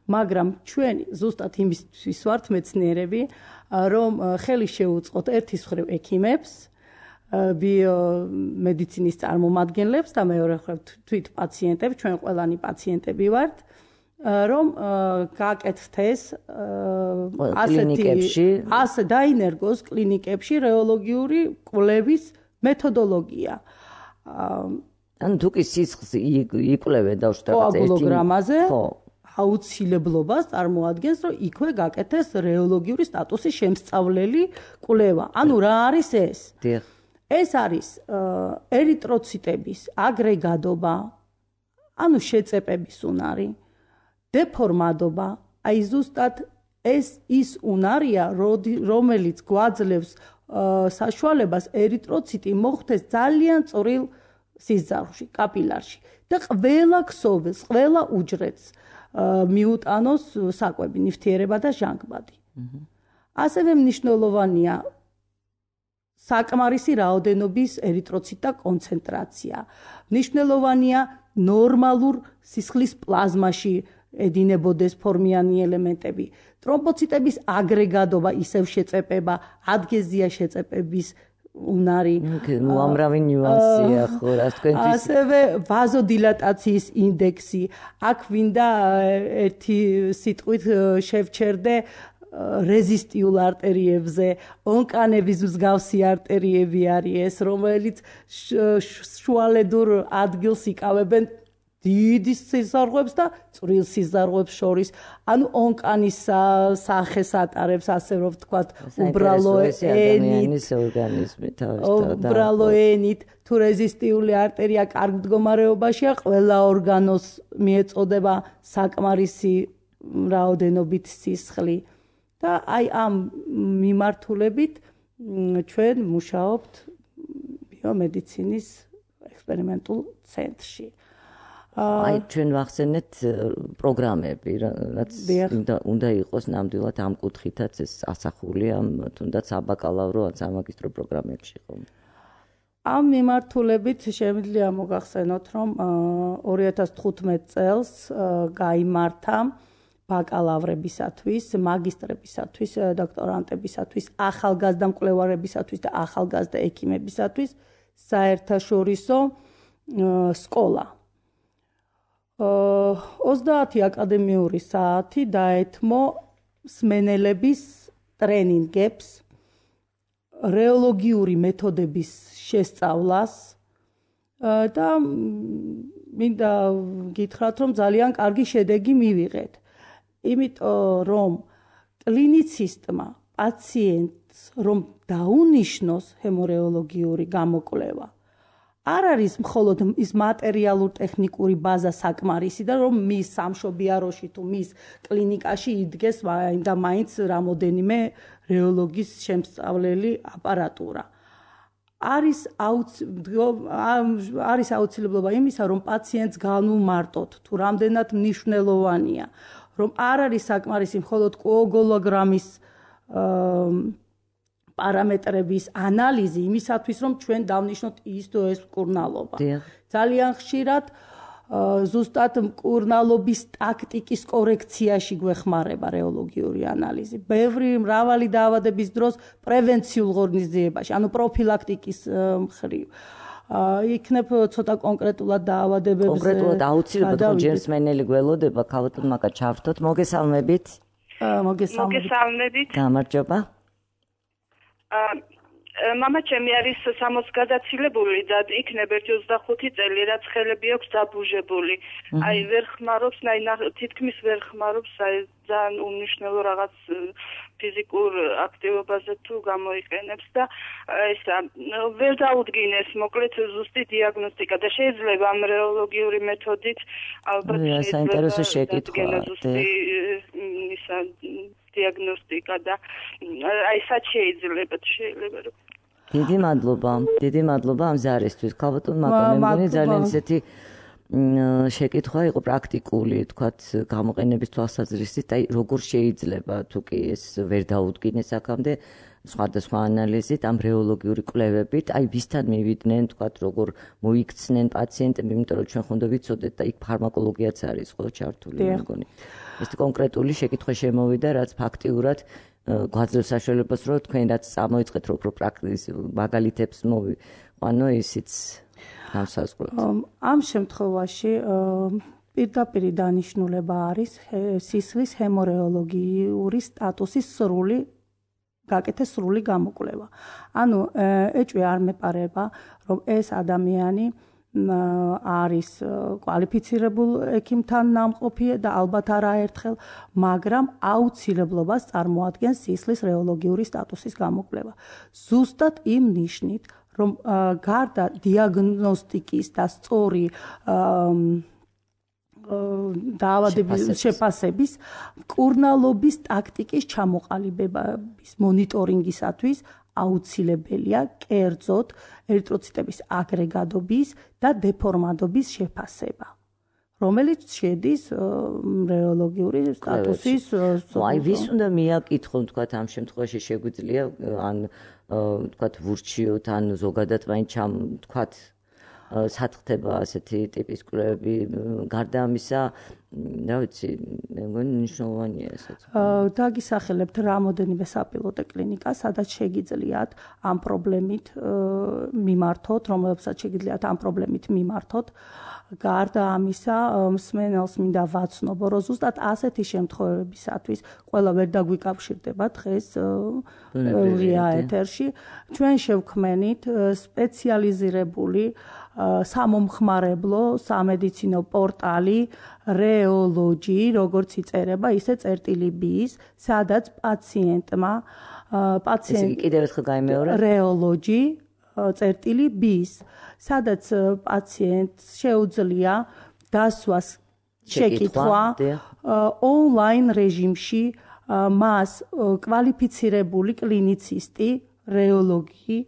მაგრამ ჩვენ ზუსტად იმისთვის ვართ მეცნიერები, რომ ხელი შეუწყოთ ერთის მხრივ ექიმებს, ბიომედიცინის წარმომადგენლებს და მეორე მხრივ თვით პაციენტებს, ჩვენ ყველანი პაციენტები ვართ, რომ გააკეთოთ ეს კლინიკებში, ასე დაინერგოს კლინიკებში რეოლოგიური კვლევის მეთოდოლოგია. ან თუ კი სისხლს იკვლევენ დავშტაბეთ კოაგულოგრამაზე, აუცილებლობას წარმოადგენს, რომ იქვე გაკეთეს რეოლოგიური სტატუსის შემსწავლელი კვლევა. ანუ რა არის ეს? ეს არის ერიტროციტების აგრეგატობა, ანუ შეწეპების უნარი, დეფორმადობა, აი ზუსტად ეს ის უნარია, რომელიც გვაძლევს საშუალებას ერიტროციტი მოხვდეს ძალიან წვრილ სისხლში, კაპილარში და ყველა ქსოვილს, ყველა უჯრედს მიუტანოს საკვები, ნივთიერება და ჟანგბადი. ასევე მნიშვნელოვანია საკმარისი რაოდენობის ერიტროციტთა კონცენტრაცია. მნიშვნელოვანია ნორმალურ სისხლის პლაზმაში ედინებოდეს ფორმიანი ელემენტები. ტრომბოციტების აგრეგატობა, ისევ შეწეპება, ადგეზია შეწეპების უნარი. უამრავი ნიუანსია ხო, რას თქვენთვის. ასევე ვაზოდილატაციის ინდექსი. აქ ვინდა ერთი სიტყვით შევჩერდე რეზისტიულ არტერიებზე, ონკანების მსგავსი არტერიები არის ეს, რომელიც შუალედურ ადგილს იკავებენ დიდი სიზარღვებს და წვრილ სიზარღვებს შორის. ანუ ონკანის სახეს ატარებს, ასე რომ ვთქვათ, უბრალო ადამიანის ორგანიზმი თავისთავად. უბრალო ენით თუ რეზისტიული არტერია კარგ მდგომარეობაშია, ყველა ორგანოს მიეწოდება საკმარისი რაოდენობით სისხლი და აი ამ მიმართულებით ჩვენ მუშაობთ ბიომედიცინის ექსპერიმენტულ ცენტრში. აი ჩვენ ვახსენეთ პროგრამები, რაც უნდა იყოს ნამდვილად ამ კუთხითაც ეს ასახული ამ თუნდაც საბაკალავრო ან სამაგისტრო პროგრამებში ხომ. ამ მიმართულებით შემიძლია მოგახსენოთ, რომ ორი ათას თხუთმეტ წელს გაიმართა ბაკალავრებისათვის, მაგისტრებისათვის, დოქტორანტებისათვის, ახალგაზრდა მკვლევარებისათვის და ახალგაზრდა ექიმებისათვის საერთაშორისო სკოლა. ოცდაათი აკადემიური საათი დაეთმო მსმენელების ტრენინგებს, რეოლოგიური მეთოდების შესწავლას და მინდა გითხრათ, რომ ძალიან კარგი შედეგი მივიღეთ. იმიტომ რომ კლინიცისტმა პაციენტს რომ დაუნიშნოს ჰემორეოლოგიური გამოკვლევა არ არის მხოლოდ ის მატერიალურ ტექნიკური ბაზა საკმარისი და რომ მის სამშობიაროში თუ მის კლინიკაში იდგეს და მაინც რამოდენიმე რეოლოგის შემსწავლელი აპარატურა. არის არის აუცილებლობა იმისა, რომ პაციენტს განვმარტოთ თუ რამდენად მნიშვნელოვანია, რომ არ არის საკმარისი მხოლოდ კოაგულოგრამის პარამეტრების ანალიზი იმისათვის, რომ ჩვენ დავნიშნოთ ის თუ ეს მკურნალობა. ძალიან ხშირად ზუსტად მკურნალობის ტაქტიკის კორექციაში გვეხმარება რეოლოგიური ანალიზი. ბევრი მრავალი დაავადების დროს პრევენციულ ღონისძიებაში, ანუ პროფილაქტიკის მხრივ. იქნებ ცოტა კონკრეტულად დაავადებებზე. კონკრეტულად აუცილებლად ხო ჯერსმენელი გველოდება, ქალბატონ მაკა ჩავრთოთ. მოგესალმებით. მოგესალმებით. გამარჯობა. მამა ჩემი არის სამოცს გადაცილებული და იქნებ ერთი ოცდახუთი წელი, რაც ხელები აქვს დაბუჟებული. აი ვერ ხმარობს, თითქმის ვერ ხმარობს, აი ძალიან უმნიშვნელო რაღაც ფიზიკურ აქტივობაზე თუ გამოიყენებს და ისა ვერ დაუდგინეს მოკლედ ზუსტი დიაგნოსტიკა და შეიძლება ამ რეოლოგიური მეთოდით ალბათ საინტერესო შეკითხვა ისა დიაგნოსტიკა და აი სად შეიძლება შეიძლება რომ დიდი მადლობა დიდი მადლობა ამ ზარისთვის ქალბატონ მაკა მე მგონი ძალიან ისეთი შეკითხვა იყო პრაქტიკული თქვათ გამოყენების თვალსაზრისით აი როგორ შეიძლება თუ კი ეს ვერ დაუდგინეს აქამდე სხვადასხვა ანალიზით ამ რეოლოგიური კვლევებით აი ვისთან მივიდნენ თქვათ როგორ მოიქცნენ პაციენტები იმიტომ რომ ჩვენ ხონდა ვიცოდეთ და იქ ფარმაკოლოგიაც არის ხო ჩართული მე მგონი ეს კონკრეტული შეკითხვა შემოვიდა რაც ფაქტიურად გვაძლევს საშუალებას რომ თქვენ რაც წამოიწყეთ რო პრაქტიკის მაგალითებს მოვიყვანო ისიც ამ შემთხვევაში პირდაპირ დანიშნულება არის სისხლის ჰემორეოლოგიური სტატუსის სრული გაკეთეს სრული გამოკვლევა. ანუ ეჭვი არ მეპარება რომ ეს ადამიანი არის კვალიფიცირებულ ექიმთან ნამყოფი და ალბათ არაერთხელ, მაგრამ აუცილებლობას წარმოადგენს სისხლის რეოლოგიური სტატუსის გამოკვლევა. ზუსტად იმ ნიშნით, რომ გარდა დიაგნოსტიკის და სწორი დაავადების შეფასების, მკურნალობის ტაქტიკის ჩამოყალიბების მონიტორინგისათვის აუცილებელია კერძოდ ერითროციტების აგრეგადობის და დეფორმადობის შეფასება, რომელიც შედის რეოლოგიური სტატუსის. აი ვის უნდა მიაკითხონ თქვათ ამ შემთხვევაში შეგვიძლია ან თქვათ ვურჩიოთ ან ზოგადად მაინც ჩამ თქვათ სათხდება ასეთი ტიპის კვლევები გარდა ამისა რა ვიცი მე მგონი მნიშვნელოვანია ესაც დაგისახელებთ რამოდენიმე საპილოტო კლინიკა სადაც შეგიძლიათ ამ პრობლემით მიმართოთ რომლებსაც შეგიძლიათ ამ პრობლემით მიმართოთ გარდა ამისა, მსმენელს მინდა ვაცნობო, რომ ზუსტად ასეთი შემთხვევებისათვის ყველა ვერ დაგვიკავშირდება დღეს ღია ეთერში. ჩვენ შევქმენით სპეციალიზირებული სამომხმარებლო სამედიცინო პორტალი რეოლოჯი, როგორც იწერება, ისე წერტილი ბის, სადაც პაციენტმა პაციენტ კიდევ ერთხელ გაიმეორე რეოლოჯი წერტილი ბის, სადაც პაციენტს შეუძლია დასვას შეკითხვა ონლაინ რეჟიმში, მას კვალიფიცირებული კლინიცისტი, რეოლოგი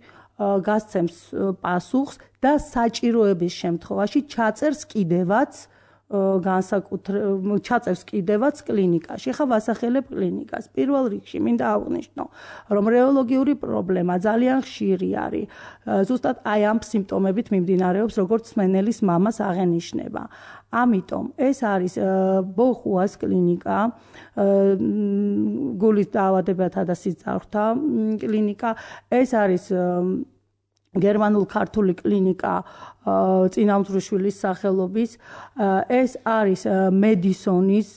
გასცემს პასუხს და საჭიროების შემთხვევაში ჩაწერს კიდევაც განსაკუთრებით ჩაწერს კიდევაც კლინიკაში. ხა ვასახელებ კლინიკას. პირველ რიგში მინდა აღვნიშნო, რომ რეოლოგიური პრობლემა ძალიან ხშირი არის. ზუსტად აი ამ სიმპტომებით მიმდინარეობს, როგორც მსმენელის მამას აღენიშნება. ამიტომ ეს არის ბოხუას კლინიკა, გულის დაავადებათა და სიძარღვთა კლინიკა. ეს არის გერმანულ-ქართული კლინიკა წინამძღვრიშვილის სახელობის. ეს არის მედისონის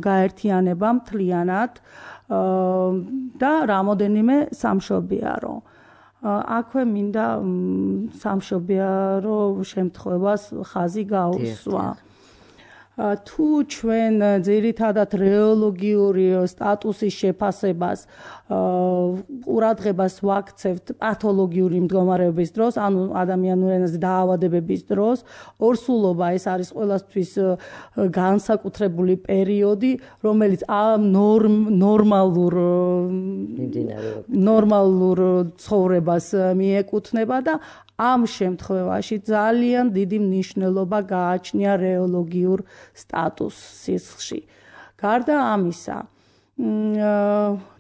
გაერთიანება მთლიანად და რამოდენიმე სამშობიარო. აქვე მინდა სამშობიარო შემთხვევას ხაზი გაუსვა. თუ ჩვენ ძირითადად რეოლოგიური სტატუსის შეფასებას ყურადღებას ვაქცევთ პათოლოგიური მდგომარეობის დროს, ანუ ადამიანურ ენაზე დაავადებების დროს, ორსულობა ეს არის ყველასთვის განსაკუთრებული პერიოდი, რომელიც ამ ნორმალურ ნორმალურ ცხოვრებას მიეკუთვნება და ამ შემთხვევაში ძალიან დიდი მნიშვნელობა გააჩნია რეოლოგიურ სტატუსს სისხლში. გარდა ამისა,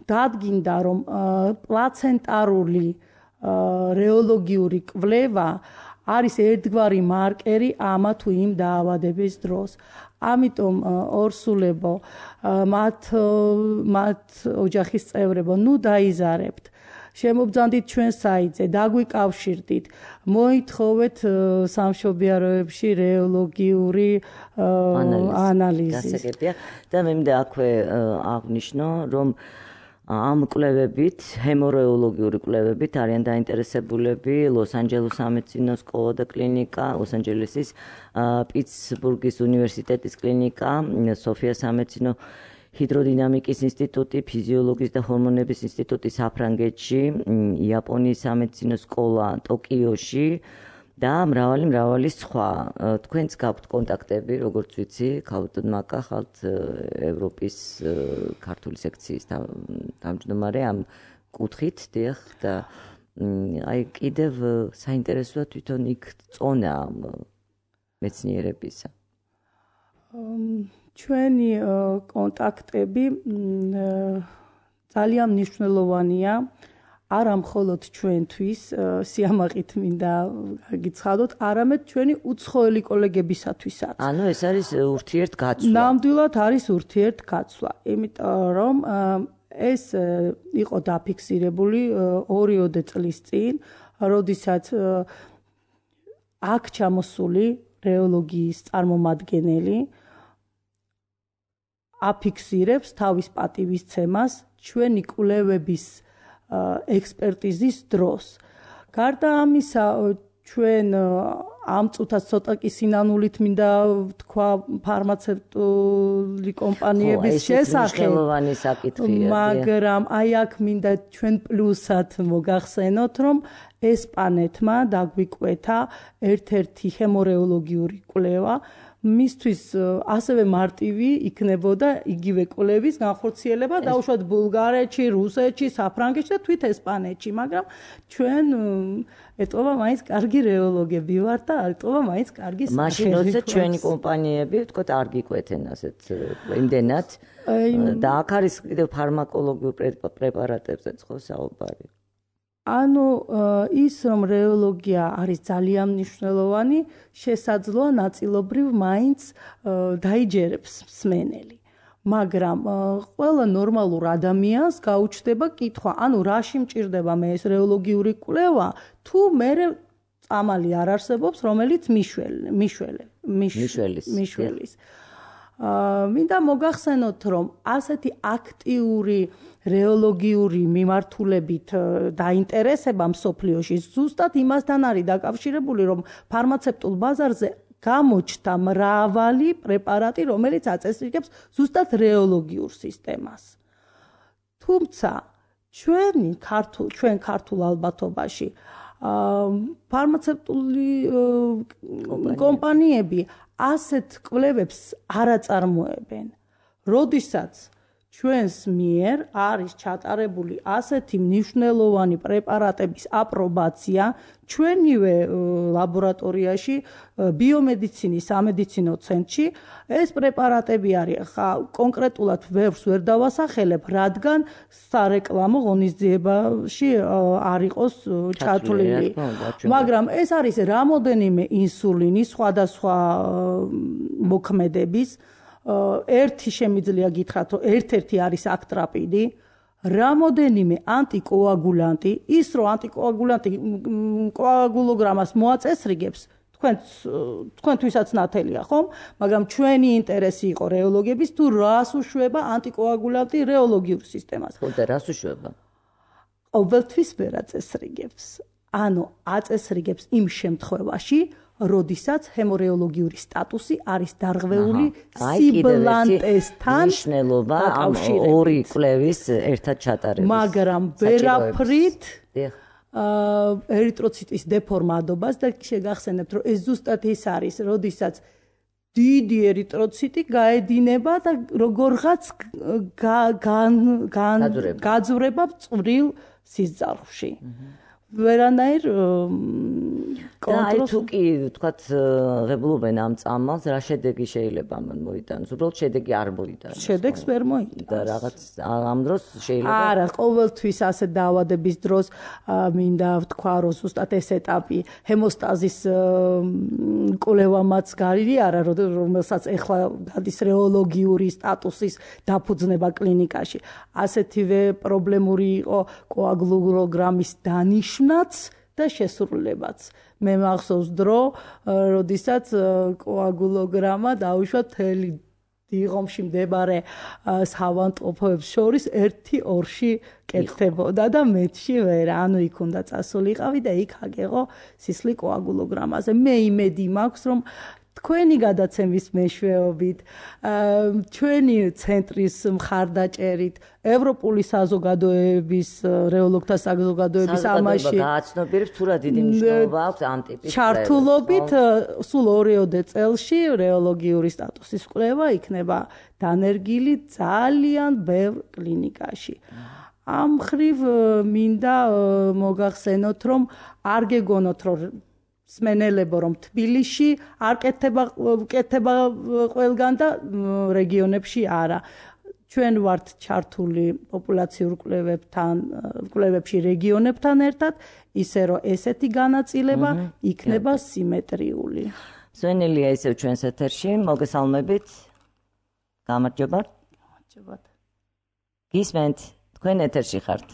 დადგინდა, რომ პლაცენტარული რეოლოგიური კვლევა არის ერთგვარი მარკერი ამა თუ იმ დაავადების დროს. ამიტომ ორსულებო, მათ მათ ოჯახის წევრებო, ნუ დაიზარებთ. შემობძანდით ჩვენ საიტზე, დაგვიკავშირდით, მოითხოვეთ სამშობიაროებში რეოლოგიური ანალიზი. და მე მინდა აქვე აღნიშნო, რომ ამ კვლევებით, ჰემორეოლოგიური კვლევებით არიან დაინტერესებულები ლოს-ანჯელეს სამედიცინო სკოლა და კლინიკა, ლოს-ანჯელესის პიტსბურგის უნივერსიტეტის კლინიკა, სოფიას სამედიცინო ჰიდროდინამიკის ინსტიტუტი, ფიზიოლოგიის და ჰორმონების ინსტიტუტი საფრანგეთში, იაპონიის სამედიცინო სკოლა ტოკიოში და მრავალი მრავალი სხვა. თქვენც გაქვთ კონტაქტები, როგორც ვიცი, ქავტოდ მაკა ხალთ ევროპის ქართული სექციის თავმჯდომარე ამ კუთხით, დიახ, და აი კიდევ საინტერესოა თვითონ იქ წონა მეცნიერებისა. ჩვენი კონტაქტები ძალიან მნიშვნელოვანია, არა მხოლოდ ჩვენთვის, სიამაყით მინდა გიცხადოთ, არამედ ჩვენი უცხოელი კოლეგებისათვისაც. ანუ ეს არის ურთიერთგაცვლა. ნამდვილად არის ურთიერთგაცვლა, იმიტომ რომ ეს იყო დაფიქსირებული ორიოდე წლის წინ, როდესაც აქ ჩამოსული რეოლოგიის წარმომადგენელი აფიქსირებს თავის პატივისცემას ჩვენი კვლევების ექსპერტიზის დროს. გარდა ამისა, ჩვენ ამ წუთას ცოტა კი სინანულით მინდა ვთქვა ფარმაცევტული კომპანიების შესახებ, მაგრამ აი აქ მინდა ჩვენ პლუსად მოგახსენოთ, რომ ესპანეთმა დაგვიკვეთა ერთ-ერთი ჰემორეოლოგიური კვლევა, მისთვის ასევე მარტივი იქნებოდა იგივე კვლევის განხორციელება დაუშვათ ბულგარეთში, რუსეთში, საფრანგეთში და თვით ესპანეთში, მაგრამ ჩვენ ეტყობა მაინც კარგი რეოლოგები ვართ და ეტყობა მაინც კარგი სახელმწიფო. მაშინ როცა ჩვენი კომპანიები, ვთქვათ, არ გიკვეთენ ასეთ იმდენად და აქ არის კიდევ ფარმაკოლოგიურ პრეპარატებზეც ხო საუბარი. ანუ ის რომ რეოლოგია არის ძალიან მნიშვნელოვანი, შესაძლოა ნაწილობრივ მაინც დაიჯერებს მსმენელი. მაგრამ ყველა ნორმალურ ადამიანს გაუჩნდება კითხვა, ანუ რაში მჭირდება მე ეს რეოლოგიური კვლევა, თუ მე წამალი არ არსებობს, რომელიც მიშველე, მიშველე, მიშველის. მიშველის. აა მინდა მოგახსენოთ, რომ ასეთი აქტიური რეოლოგიური მიმართულებით დაინტერესება მსოფლიოში ზუსტად იმასთან არის დაკავშირებული, რომ ფარმაცევტულ ბაზარზე გამოჩნდა მრავალი პრეპარატი, რომელიც აწესრიგებს ზუსტად რეოლოგიურ სისტემას. თუმცა ჩვენი ქართულ ჩვენ ქართულ ალბათობაში ფარმაცევტული კომპანიები ასეთ კვლევებს არ აწარმოებენ. როდესაც ჩვენს მიერ არის ჩატარებული ასეთი მნიშვნელოვანი პრეპარატების აპრობაცია ჩვენივე ლაბორატორიაში ბიომედიცინის სამედიცინო ცენტრში ეს პრეპარატები არის კონკრეტულად ვერს ვერ დავასახელებ, რადგან სარეკლამო ღონისძიებაში არ იყოს ჩათვლილი. მაგრამ ეს არის რამოდენიმე ინსულინის სხვადასხვა მოქმედების ერთი შემიძლია გითხრათ, რომ ერთ-ერთი არის აკტრაპიდი, რამოდენიმე ანტიკოაგულანტი, ის რომ ანტიკოაგულანტი კოაგულოგრამას მოაწესრიგებს, თქვენ თქვენთვისაც ნათელია, ხომ? მაგრამ ჩვენი ინტერესი იყო რეოლოგების, თუ რას უშვება ანტიკოაგულანტი რეოლოგიურ სისტემას. ხო და რას უშვება? ყოველთვის ვერ აწესრიგებს. ანუ აწესრიგებს იმ შემთხვევაში, როდესაც ჰემორეოლოგიური სტატუსი არის დარღვეული სიბლანტესთან მნიშვნელობა ამ ორი კვლევის ერთად ჩატარების. მაგრამ ვერაფრით ერიტროციტის დეფორმადობას და შეგახსენებთ, რომ ეს ზუსტად ის არის, როდესაც დიდი ერიტროციტი გაედინება და როგორღაც გაძვრება წვრილ სისხლში. ვერანაირ კონტროლს. და თუ კი თქვათ ღებულობენ ამ წამალს, რა შედეგი შეიძლება ამან მოიტანოს? უბრალოდ შედეგი არ მოიტანოს. შედეგს ვერ მოიტანოს. და რაღაც ამ დროს შეიძლება არა, ყოველთვის ასე დაავადების დროს მინდა ვთქვა, რომ ზუსტად ეს ეტაპი ჰემოსტაზის კვლევამაც გარი არა, რომელსაც ეხლა გადის რეოლოგიური სტატუსის დაფუძნება კლინიკაში. ასეთივე პრობლემური იყო კოაგულოგრამის დანიშნაც და შესრულებაც. მე მახსოვს დრო, როდესაც კოაგულოგრამა დაუშვა მთელი დიღომში მდებარე სავანტყოფოებს შორის ერთი ორში კეთდებოდა და მეტში ვერ. ანუ იქ უნდა წასულიყავი და იქ აგეღო სისხლი კოაგულოგრამაზე. მე იმედი მაქვს, რომ თქვენი გადაცემის მეშვეობით, ჩვენი ცენტრის მხარდაჭერით, ევროპული საზოგადოების, რეოლოგთა საზოგადოების ამაში გააცნობიერებს თუ რა დიდი მნიშვნელობა აქვს ამ ტიპის ჩართულობით სულ ორიოდე წელში რეოლოგიური სტატუსის კვლევა იქნება დანერგილი ძალიან ბევრ კლინიკაში. ამ მხრივ მინდა მოგახსენოთ, რომ არ გეგონოთ, რომ სმენელებო, რომ თბილისში არ კეთება კეთება ყველგან და რეგიონებში არა. ჩვენ ვართ ჩართული პოპულაციურ კვლევებთან, კვლევებში რეგიონებთან ერთად, ისე რომ ესეთი განაწილება იქნება სიმეტრიული. სვენელია ისევ ჩვენს ეთერში, მოგესალმებით. გამარჯობა. გამარჯობა. გისმენთ, თქვენ ეთერში ხართ.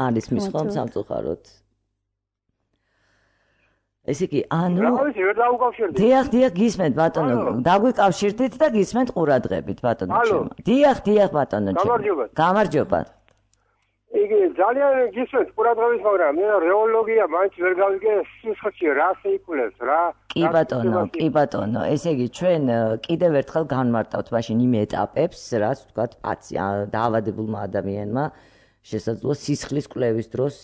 არის მის ხომ სამწუხაროდ. ესე იგი, ანუ რაღაცი ვერ დაუკავშირდით. დიახ, დიახ, გისმენთ ბატონო. დაგვიკავშირდით და გისმენთ ყურადღებით ბატონო ჩემო. დიახ, დიახ ბატონო ჩემო. გამარჯობა. გამარჯობა. იგი ძალიან გისმენთ ყურადღებით, მაგრამ მე რეოლოგია მაინც ვერ გავიგე სისხლში რას იკვლევს რა. კი ბატონო, კი ბატონო. ესე იგი, ჩვენ კიდევ ერთხელ განმარტავთ მაშინ იმ ეტაპებს, რაც თქვათ პაციენტ დაავადებულმა ადამიანმა შესაძლოა სისხლის კვლევის დროს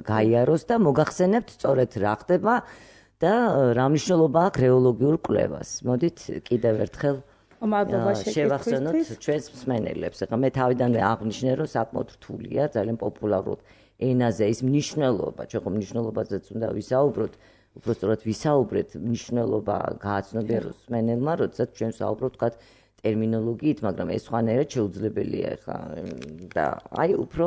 გაიაროს და მოგახსენებთ სწორედ რა ხდება და რა მნიშვნელობა აქვს რეოლოგიურ კვლევას. მოდით კიდევ ერთხელ შევახსენოთ ჩვენს მსმენელებს. ეხლა მე თავიდანვე აღნიშნე, რომ საკმაოდ რთულია, ძალიან პოპულარულ ენაზე ის მნიშვნელობა, ჩვენ ხომ მნიშვნელობაზეც უნდა ვისაუბროთ, უბრალოდ ვისაუბრეთ მნიშვნელობა გააცნობიეროს მსმენელმა, როდესაც ჩვენ ვსაუბრობთ თქვათ ტერმინოლოგიით, მაგრამ ეს სხვანაირად შეუძლებელია ხა და აი უფრო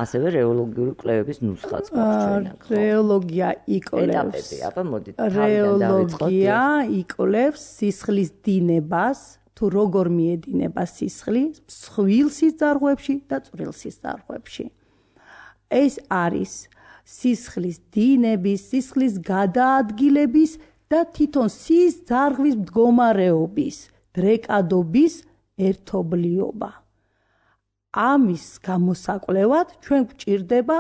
ასევე რეოლოგიური კვლევების ნუსხაც გვაქვს ჩვენ აქ. რეოლოგია იკვლევს. ეტაპები, აბა მოდით რეოლოგია იკვლევს სისხლის დინებას, თუ როგორ მიედინება სისხლი მსხვილ სისხლძარღვებში და წვრილ სისხლძარღვებში. ეს არის სისხლის დინების, სისხლის გადაადგილების და თვითონ სის ძარღვის მდგომარეობის, დრეკადობის ერთობლიობა. ამის გამოსაკვლევად ჩვენ გვჭირდება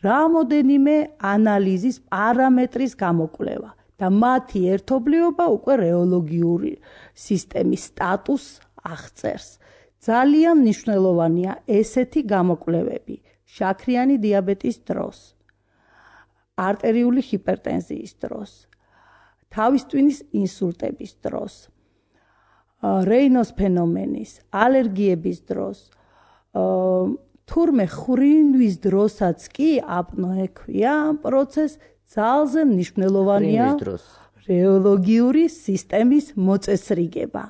რამოდენიმე ანალიზის პარამეტრის გამოკვლევა და მათი ერთობლიობა უკვე რეოლოგიური სისტემის სტატუსს აღწერს. ძალიან მნიშვნელოვანია ესეთი გამოკვლევები შაქრიანი დიაბეტის დროს, არტერიული ჰიპერტენზიის დროს, თავის ტვინის ინსულტების დროს, რეინოს ფენომენის, ალერგიების დროს, თურმე ხრინვის დროსაც კი აპნოე ქვია ამ პროცესს ძალზე მნიშვნელოვანია რეოლოგიური სისტემის მოწესრიგება.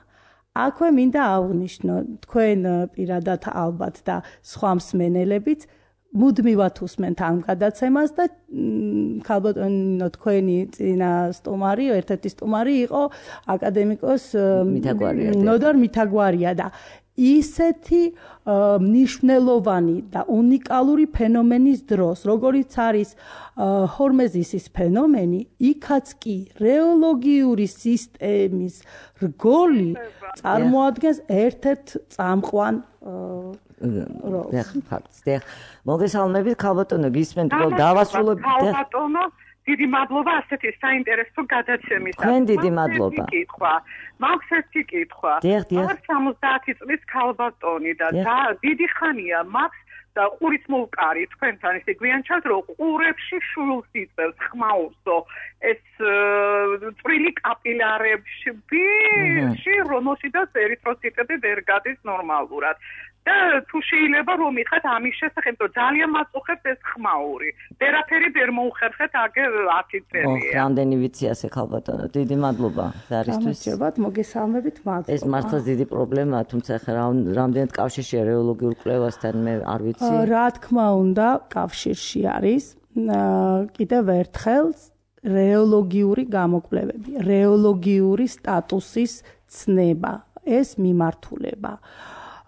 აქვე მინდა აღვნიშნო თქვენ პირადად ალბათ და სხვა მსმენელებიც მუდმივად უსმენთ ამ გადაცემას და ქალბატონო თქვენი წინა სტუმარი, ერთ-ერთი სტუმარი იყო აკადემიკოს ნოდარ მითაგვარია და ისეთი მნიშვნელოვანი და უნიკალური ფენომენის დროს, როგორიც არის ჰორმეზისის ფენომენი, იქაც კი რეოლოგიური სისტემის რგოლი წარმოადგენს ერთ-ერთ წამყვან ფაქტს. მოგესალმებით ქალბატონო, გისმენთ რომ დავასრულებ ქალბატონო, დიდი მადლობა ასეთი საინტერესო გადაცემისათვის. თქვენ დიდი მადლობა. მაქვს ერთი კითხვა. არ სამოცდაათი წლის ქალბატონი და დიდი ხანია მაქვს და ყურიც მოვკარი თქვენთან ისე გვიანჩათ რომ ყურებში შვილს იწევს ხმაურსო ეს წვრილი კაპილარებში რომელშიდაც ერითროციტები ვერ გადის ნორმალურად. და თუ შეიძლება რომ მიხათ ამის შესახებ რომ ძალიან მაწუხებს ეს ხმაური. ვერაფერი ვერ მოუხერხეთ აგე ათი წელია. რამდენი ვიცი ასე ქალბატონო, დიდი მადლობა ზარისთვის. გამარჯობათ, მოგესალმებით, მადლობა. ეს მართლაც დიდი პრობლემაა, თუმცა ხა რამდენად კავშირშია რეოლოგიურ კვლევასთან მე არ ვიცი. რა თქმა უნდა, კავშირში არის. კიდევ ერთხელ რეოლოგიური გამოკვლევები, რეოლოგიური სტატუსის ცნება, ეს მიმართულება.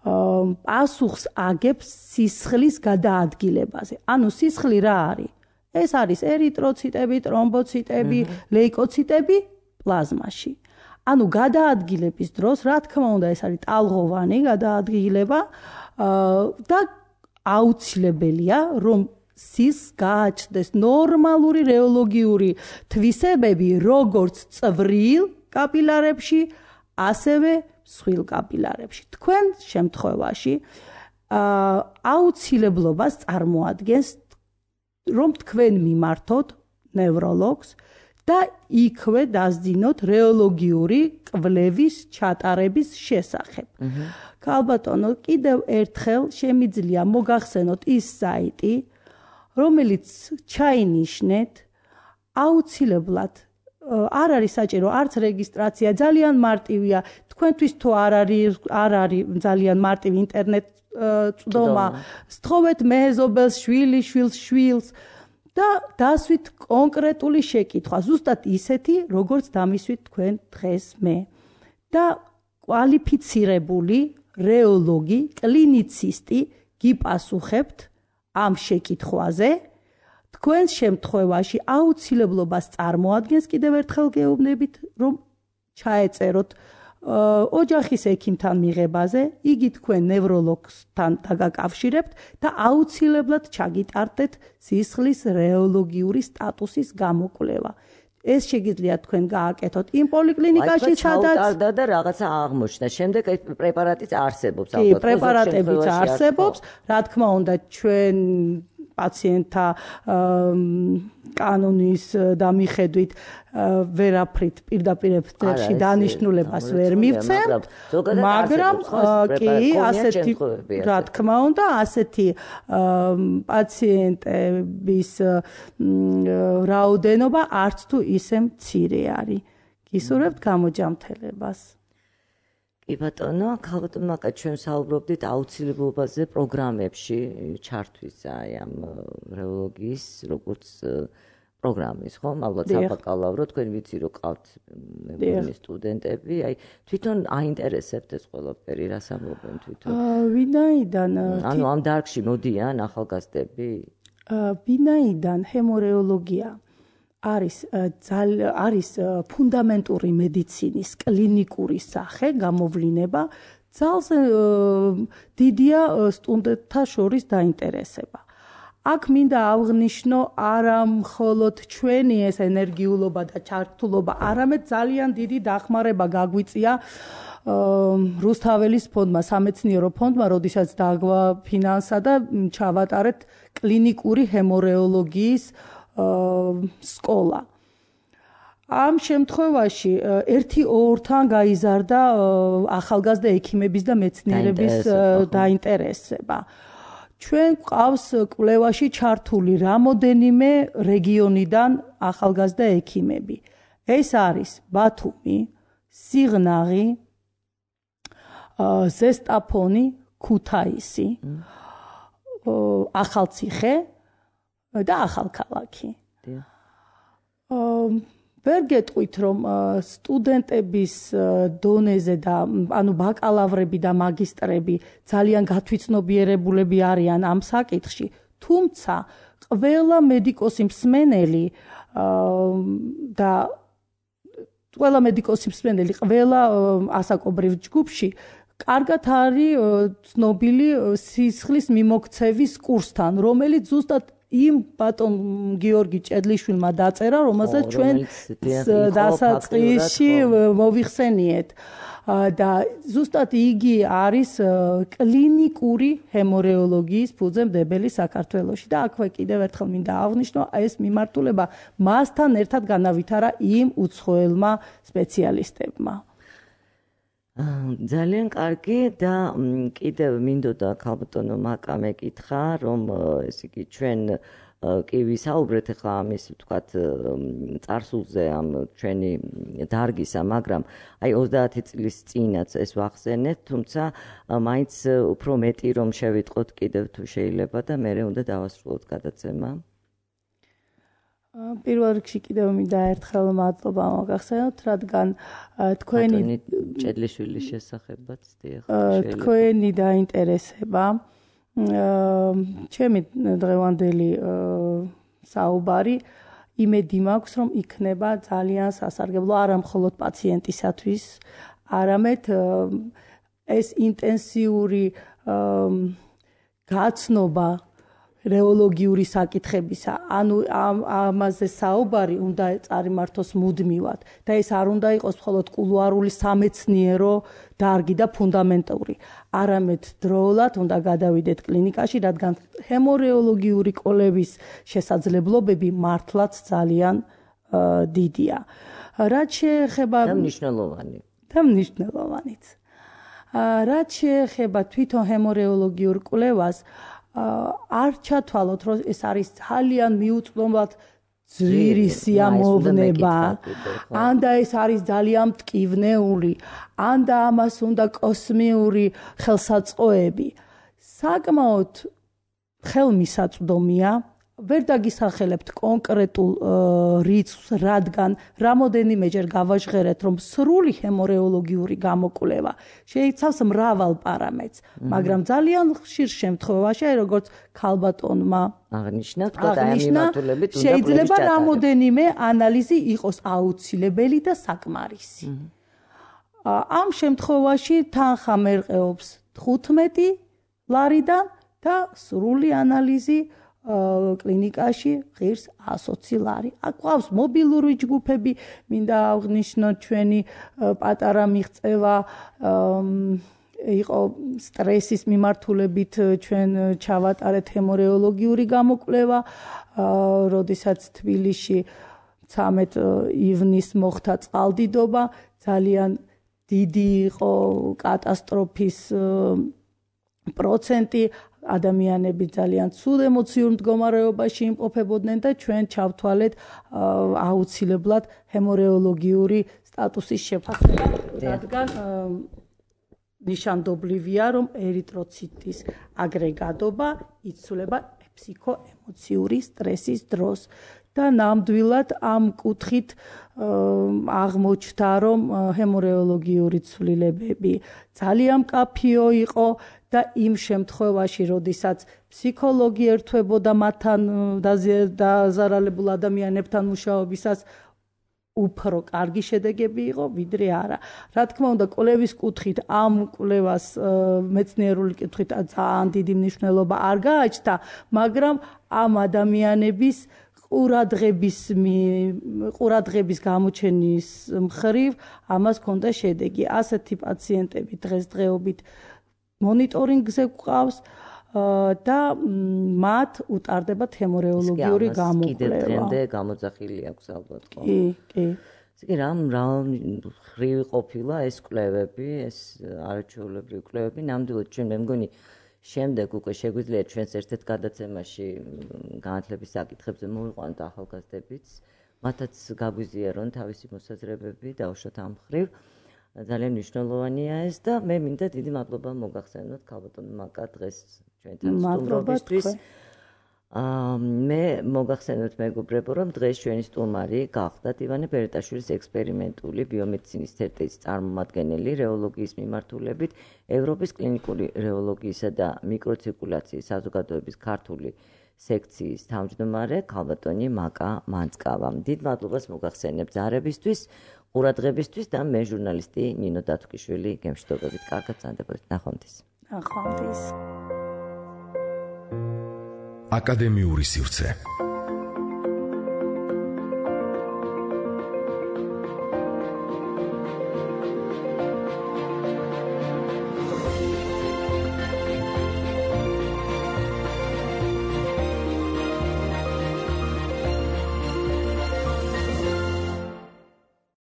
პასუხს აგებს სისხლის გადაადგილებაზე. ანუ სისხლი რა არის? ეს არის ერითროციტები, ტრომბოციტები, ლეიკოციტები პლაზმაში. ანუ გადაადგილების დროს, რა თქმა უნდა, ეს არის ტალღოვანი გადაადგილება და აუცილებელია, რომ სის გააჩნდეს ნორმალური რეოლოგიური თვისებები, როგორც წვრილ კაპილარებში, ასევე სხვილ კაპილარებში. თქვენ შემთხვევაში აუცილებლობას წარმოადგენს, რომ თქვენ მიმართოთ ნევროლოგს და იქვე დასძინოთ რეოლოგიური კვლევის ჩატარების შესახებ. ქალბატონო, კიდევ ერთხელ შემიძლია მოგახსენოთ ის საიტი, რომელიც ჩაინიშნეთ აუცილებლად არ არის საჭირო არც რეგისტრაცია, ძალიან მარტივია. თქვენთვის თუ არ არის არ არის ძალიან მარტივი ინტერნეტ წვდომა, სთხოვეთ მეზობელს, შვილი შვილს, შვილს და დასვით კონკრეტული შეკითხვა, ზუსტად ისეთი, როგორც დამისვით თქვენ დღეს მე. და კვალიფიცირებული რეოლოგი, კლინიცისტი გიპასუხებთ ამ შეკითხვაზე. თქვენს შემთხვევაში აუცილებლობას წარმოადგენს კიდევ ერთხელ გეუბნებით, რომ ჩაეწეროთ ოჯახის ექიმთან მიღებაზე, იგი თქვენ ნევროლოგთან დაგაკავშირებთ და აუცილებლად ჩაგიტარდეთ სისხლის რეოლოგიური სტატუსის გამოკვლევა. ეს შეგიძლიათ თქვენ გააკეთოთ იმ პოლიკლინიკაში, სადაც ჩაუტარდა და რაღაცა აღმოჩნდა. შემდეგ ეს პრეპარატიც არსებობს, ალბათ. კი, პრეპარატებიც არსებობს. რა თქმა უნდა, ჩვენ პაციენტთა კანონის და მიხედვით ვერაფრით პირდაპირ ეთერში დანიშნულებას ვერ მივცემ, მაგრამ კი ასეთი რა თქმა უნდა ასეთი პაციენტების რაოდენობა არც თუ ისე მცირე არის. გისურვებთ გამოჯამთელებას. კი ბატონო, ქალბატონო, მაგა ჩვენ საუბრობდით აუცილებლობაზე პროგრამებში ჩართვის აი ამ რეოლოგიის როგორც პროგრამის, ხო? ალბათ საბაკალავრო, თქვენ ვიცი რომ ყავთ მეგობრები სტუდენტები, აი თვითონ აინტერესებთ ეს ყველაფერი, რას ამბობენ თვითონ? ვინაიდან ანუ ამ დარგში მოდიან ახალგაზრდები? ვინაიდან ჰემორეოლოგია არის არის ფუნდამენტური მედიცინის კლინიკური სახე, გამოვლინება, ძალზე დიდია სტუდენტთა შორის დაინტერესება. აქ მინდა აღვნიშნო არა მხოლოდ ჩვენი ეს ენერგიულობა და ჩართულობა, არამედ ძალიან დიდი დახმარება გაგვიწია რუსთაველის ფონდმა, სამეცნიერო ფონდმა, როდესაც დაგვაფინანსა და ჩავატარეთ კლინიკური ჰემორეოლოგიის სკოლა. ამ შემთხვევაში ერთი ორთან გაიზარდა ახალგაზრდა ექიმების და მეცნიერების დაინტერესება. ჩვენ ყავს კვლევაში ჩართული რამოდენიმე რეგიონიდან ახალგაზრდა ექიმები. ეს არის ბათუმი, სიღნაღი, ზესტაფონი, ქუთაისი, ახალციხე და ახალქალაქი. ვერ გეტყვით, რომ სტუდენტების დონეზე და ანუ ბაკალავრები და მაგისტრები ძალიან გათვითცნობიერებულები არიან ამ საკითხში, თუმცა ყველა მედიკოსი მსმენელი და ყველა მედიკოსი მსმენელი, ყველა ასაკობრივ ჯგუფში კარგად არის ცნობილი სისხლის მიმოქცევის კურსთან, რომელიც ზუსტად იმ ბატონ გიორგი ჭედლიშვილმა დაწერა, რომელსაც ჩვენ დასაწყისში მოვიხსენიეთ. და ზუსტად იგი არის კლინიკური ჰემორეოლოგიის ფუძემდებელი საქართველოში და აქვე კიდევ ერთხელ მინდა აღვნიშნო, ეს მიმართულება მასთან ერთად განავითარა იმ უცხოელმა სპეციალისტებმა. ძალიან კარგი და კიდევ მინდოდა ქალბატონო მაკა მეკითხა, რომ ეს იგი ჩვენ კი ვისაუბრეთ ახლა ამის ვთქვათ წარსულზე ამ ჩვენი დარგისა, მაგრამ აი ოცდაათი წლის წინაც ეს ვახსენეთ, თუმცა მაინც უფრო მეტი რომ შევიტყოთ კიდევ თუ შეიძლება და მე უნდა დავასრულოთ გადაცემა. პირველ რიგში კიდევ მინდა ერთხელ მადლობა მოგახსენოთ, რადგან თქვენი ჭედლიშვილის შესახებაც დიახ, თქვენი დაინტერესება ჩემი დღევანდელი საუბარი იმედი მაქვს, რომ იქნება ძალიან სასარგებლო არა მხოლოდ პაციენტისათვის, არამედ ეს ინტენსიური გაცნობა რეოლოგიური საკითხებისა, ანუ ამაზე საუბარი უნდა წარიმართოს მუდმივად და ეს არ უნდა იყოს მხოლოდ კულუარული სამეცნიერო დარგი და ფუნდამენტური, არამედ დროულად უნდა გადავიდეთ კლინიკაში, რადგან ჰემორეოლოგიური კვლევის შესაძლებლობები მართლაც ძალიან დიდია. რაც შეეხება და მნიშვნელოვანი. და მნიშვნელოვანიც. რაც შეეხება თვითონ ჰემორეოლოგიურ კვლევას, არ ჩათვალოთ, რომ ეს არის ძალიან მიუწვდომად ძვირი სიამოვნება, ან და ეს არის ძალიან მტკივნეული, ან და ამას უნდა კოსმიური ხელსაწყოები. საკმაოდ ხელმისაწვდომია, ვერ დაგისახელებთ კონკრეტულ რიცხვს, რადგან რამოდენიმეჯერ გავაჟღერეთ, რომ სრული ჰემორეოლოგიური გამოკვლევა შეიცავს მრავალ პარამეტრს, მაგრამ ძალიან ხშირ შემთხვევაში, როგორც ქალბატონმა აღნიშნა, თქვა ამ მიმართულებით უნდა შეიძლება რამოდენიმე ანალიზი იყოს აუცილებელი და საკმარისი. ამ შემთხვევაში თანხა მერყეობს თხუთმეტი ლარიდან და სრული ანალიზი კლინიკაში ღირს ოცი ლარი. აქ ყავს მობილური ჯგუფები, მინდა აღვნიშნო ჩვენი პატარა მიღწევა იყო სტრესის მიმართულებით ჩვენ ჩავატარეთ ჰემორეოლოგიური გამოკვლევა, როდესაც თბილისში ცამეტ ივნისს მოხდა წყალდიდობა, ძალიან დიდი იყო კატასტროფის პროცენტი, ადამიანები ძალიან ცუდ ემოციურ მდგომარეობაში იმყოფებოდნენ და ჩვენ ჩავთვალეთ აუცილებლად ჰემორეოლოგიური სტატუსის შეფასება, რადგან ნიშანდობლივია, რომ ერითროციტის აგრეგატობა იცვლება ფსიქოემოციური სტრესის დროს. და ნამდვილად ამ კუთხით აღმოჩნდა, რომ ჰემორეოლოგიური ცვლილებები ძალიან მკაფიო იყო და იმ შემთხვევაში, როდესაც ფსიქოლოგი ერთვებოდა მათთან დაზარალებულ ადამიანებთან მუშაობისას, უფრო კარგი შედეგები იყო, ვიდრე არა. რა თქმა უნდა, კვლევის კუთხით ამ კვლევას მეცნიერული კუთხით ძალიან დიდი მნიშვნელობა არ გააჩნდა, მაგრამ ამ ადამიანების ყურადღების ყურადღების გამოჩენის მხრივ ამას ჰქონდა შედეგი. ასეთი პაციენტები დღესდღეობით მონიტორინგზე გვყავს და მათ უტარდებათ ჰემორეოლოგიური გამოკვლევა. კიდევ დღემდე გამოძახილი აქვს ალბათ, ხო? კი, კი. ისე რამ რამ ხრივი ყოფილა ეს კვლევები, ეს არაჩვეულებრივი კვლევები, ნამდვილად ჩვენ მე მგონი შემდეგ უკვე შეგვიძლია ჩვენს ერთ-ერთ გადაცემაში განათლების საკითხებზე მოვიყვანოთ ახალგაზრდებიც, მათაც გაგვიზიარონ თავისი მოსაზრებები დაუშვათ ამ ხრივ. ძალიან მნიშვნელოვანია ეს და მე მინდა დიდი მადლობა მოგახსენოთ ქალბატონ მაკა დღეს ჩვენთან სტუმრობისთვის. აა მე მოგახსენოთ მეგობრებო, რომ დღეს ჩვენი სტუმარი გახდათ ივანე ბერეტაშვილის ექსპერიმენტული ბიომედიცინის ცერტის წარმომადგენელი რეოლოგიის მიმართულებით ევროპის კლინიკური რეოლოგიისა და მიკროცირკულაციის საზოგადოების ქართული სექციის თავმჯდომარე ქალბატონი მაკა მანწკავა. დიდ მადლობას მოგახსენებთ ზარებისთვის, ყურადღებისთვის და მე ჟურნალისტი ნინო დათუკიშვილი გემშვიდობებით. კარგად ზანდებოდეთ. ნახვამდის. ნახვამდის. აკადემიური სივრცე.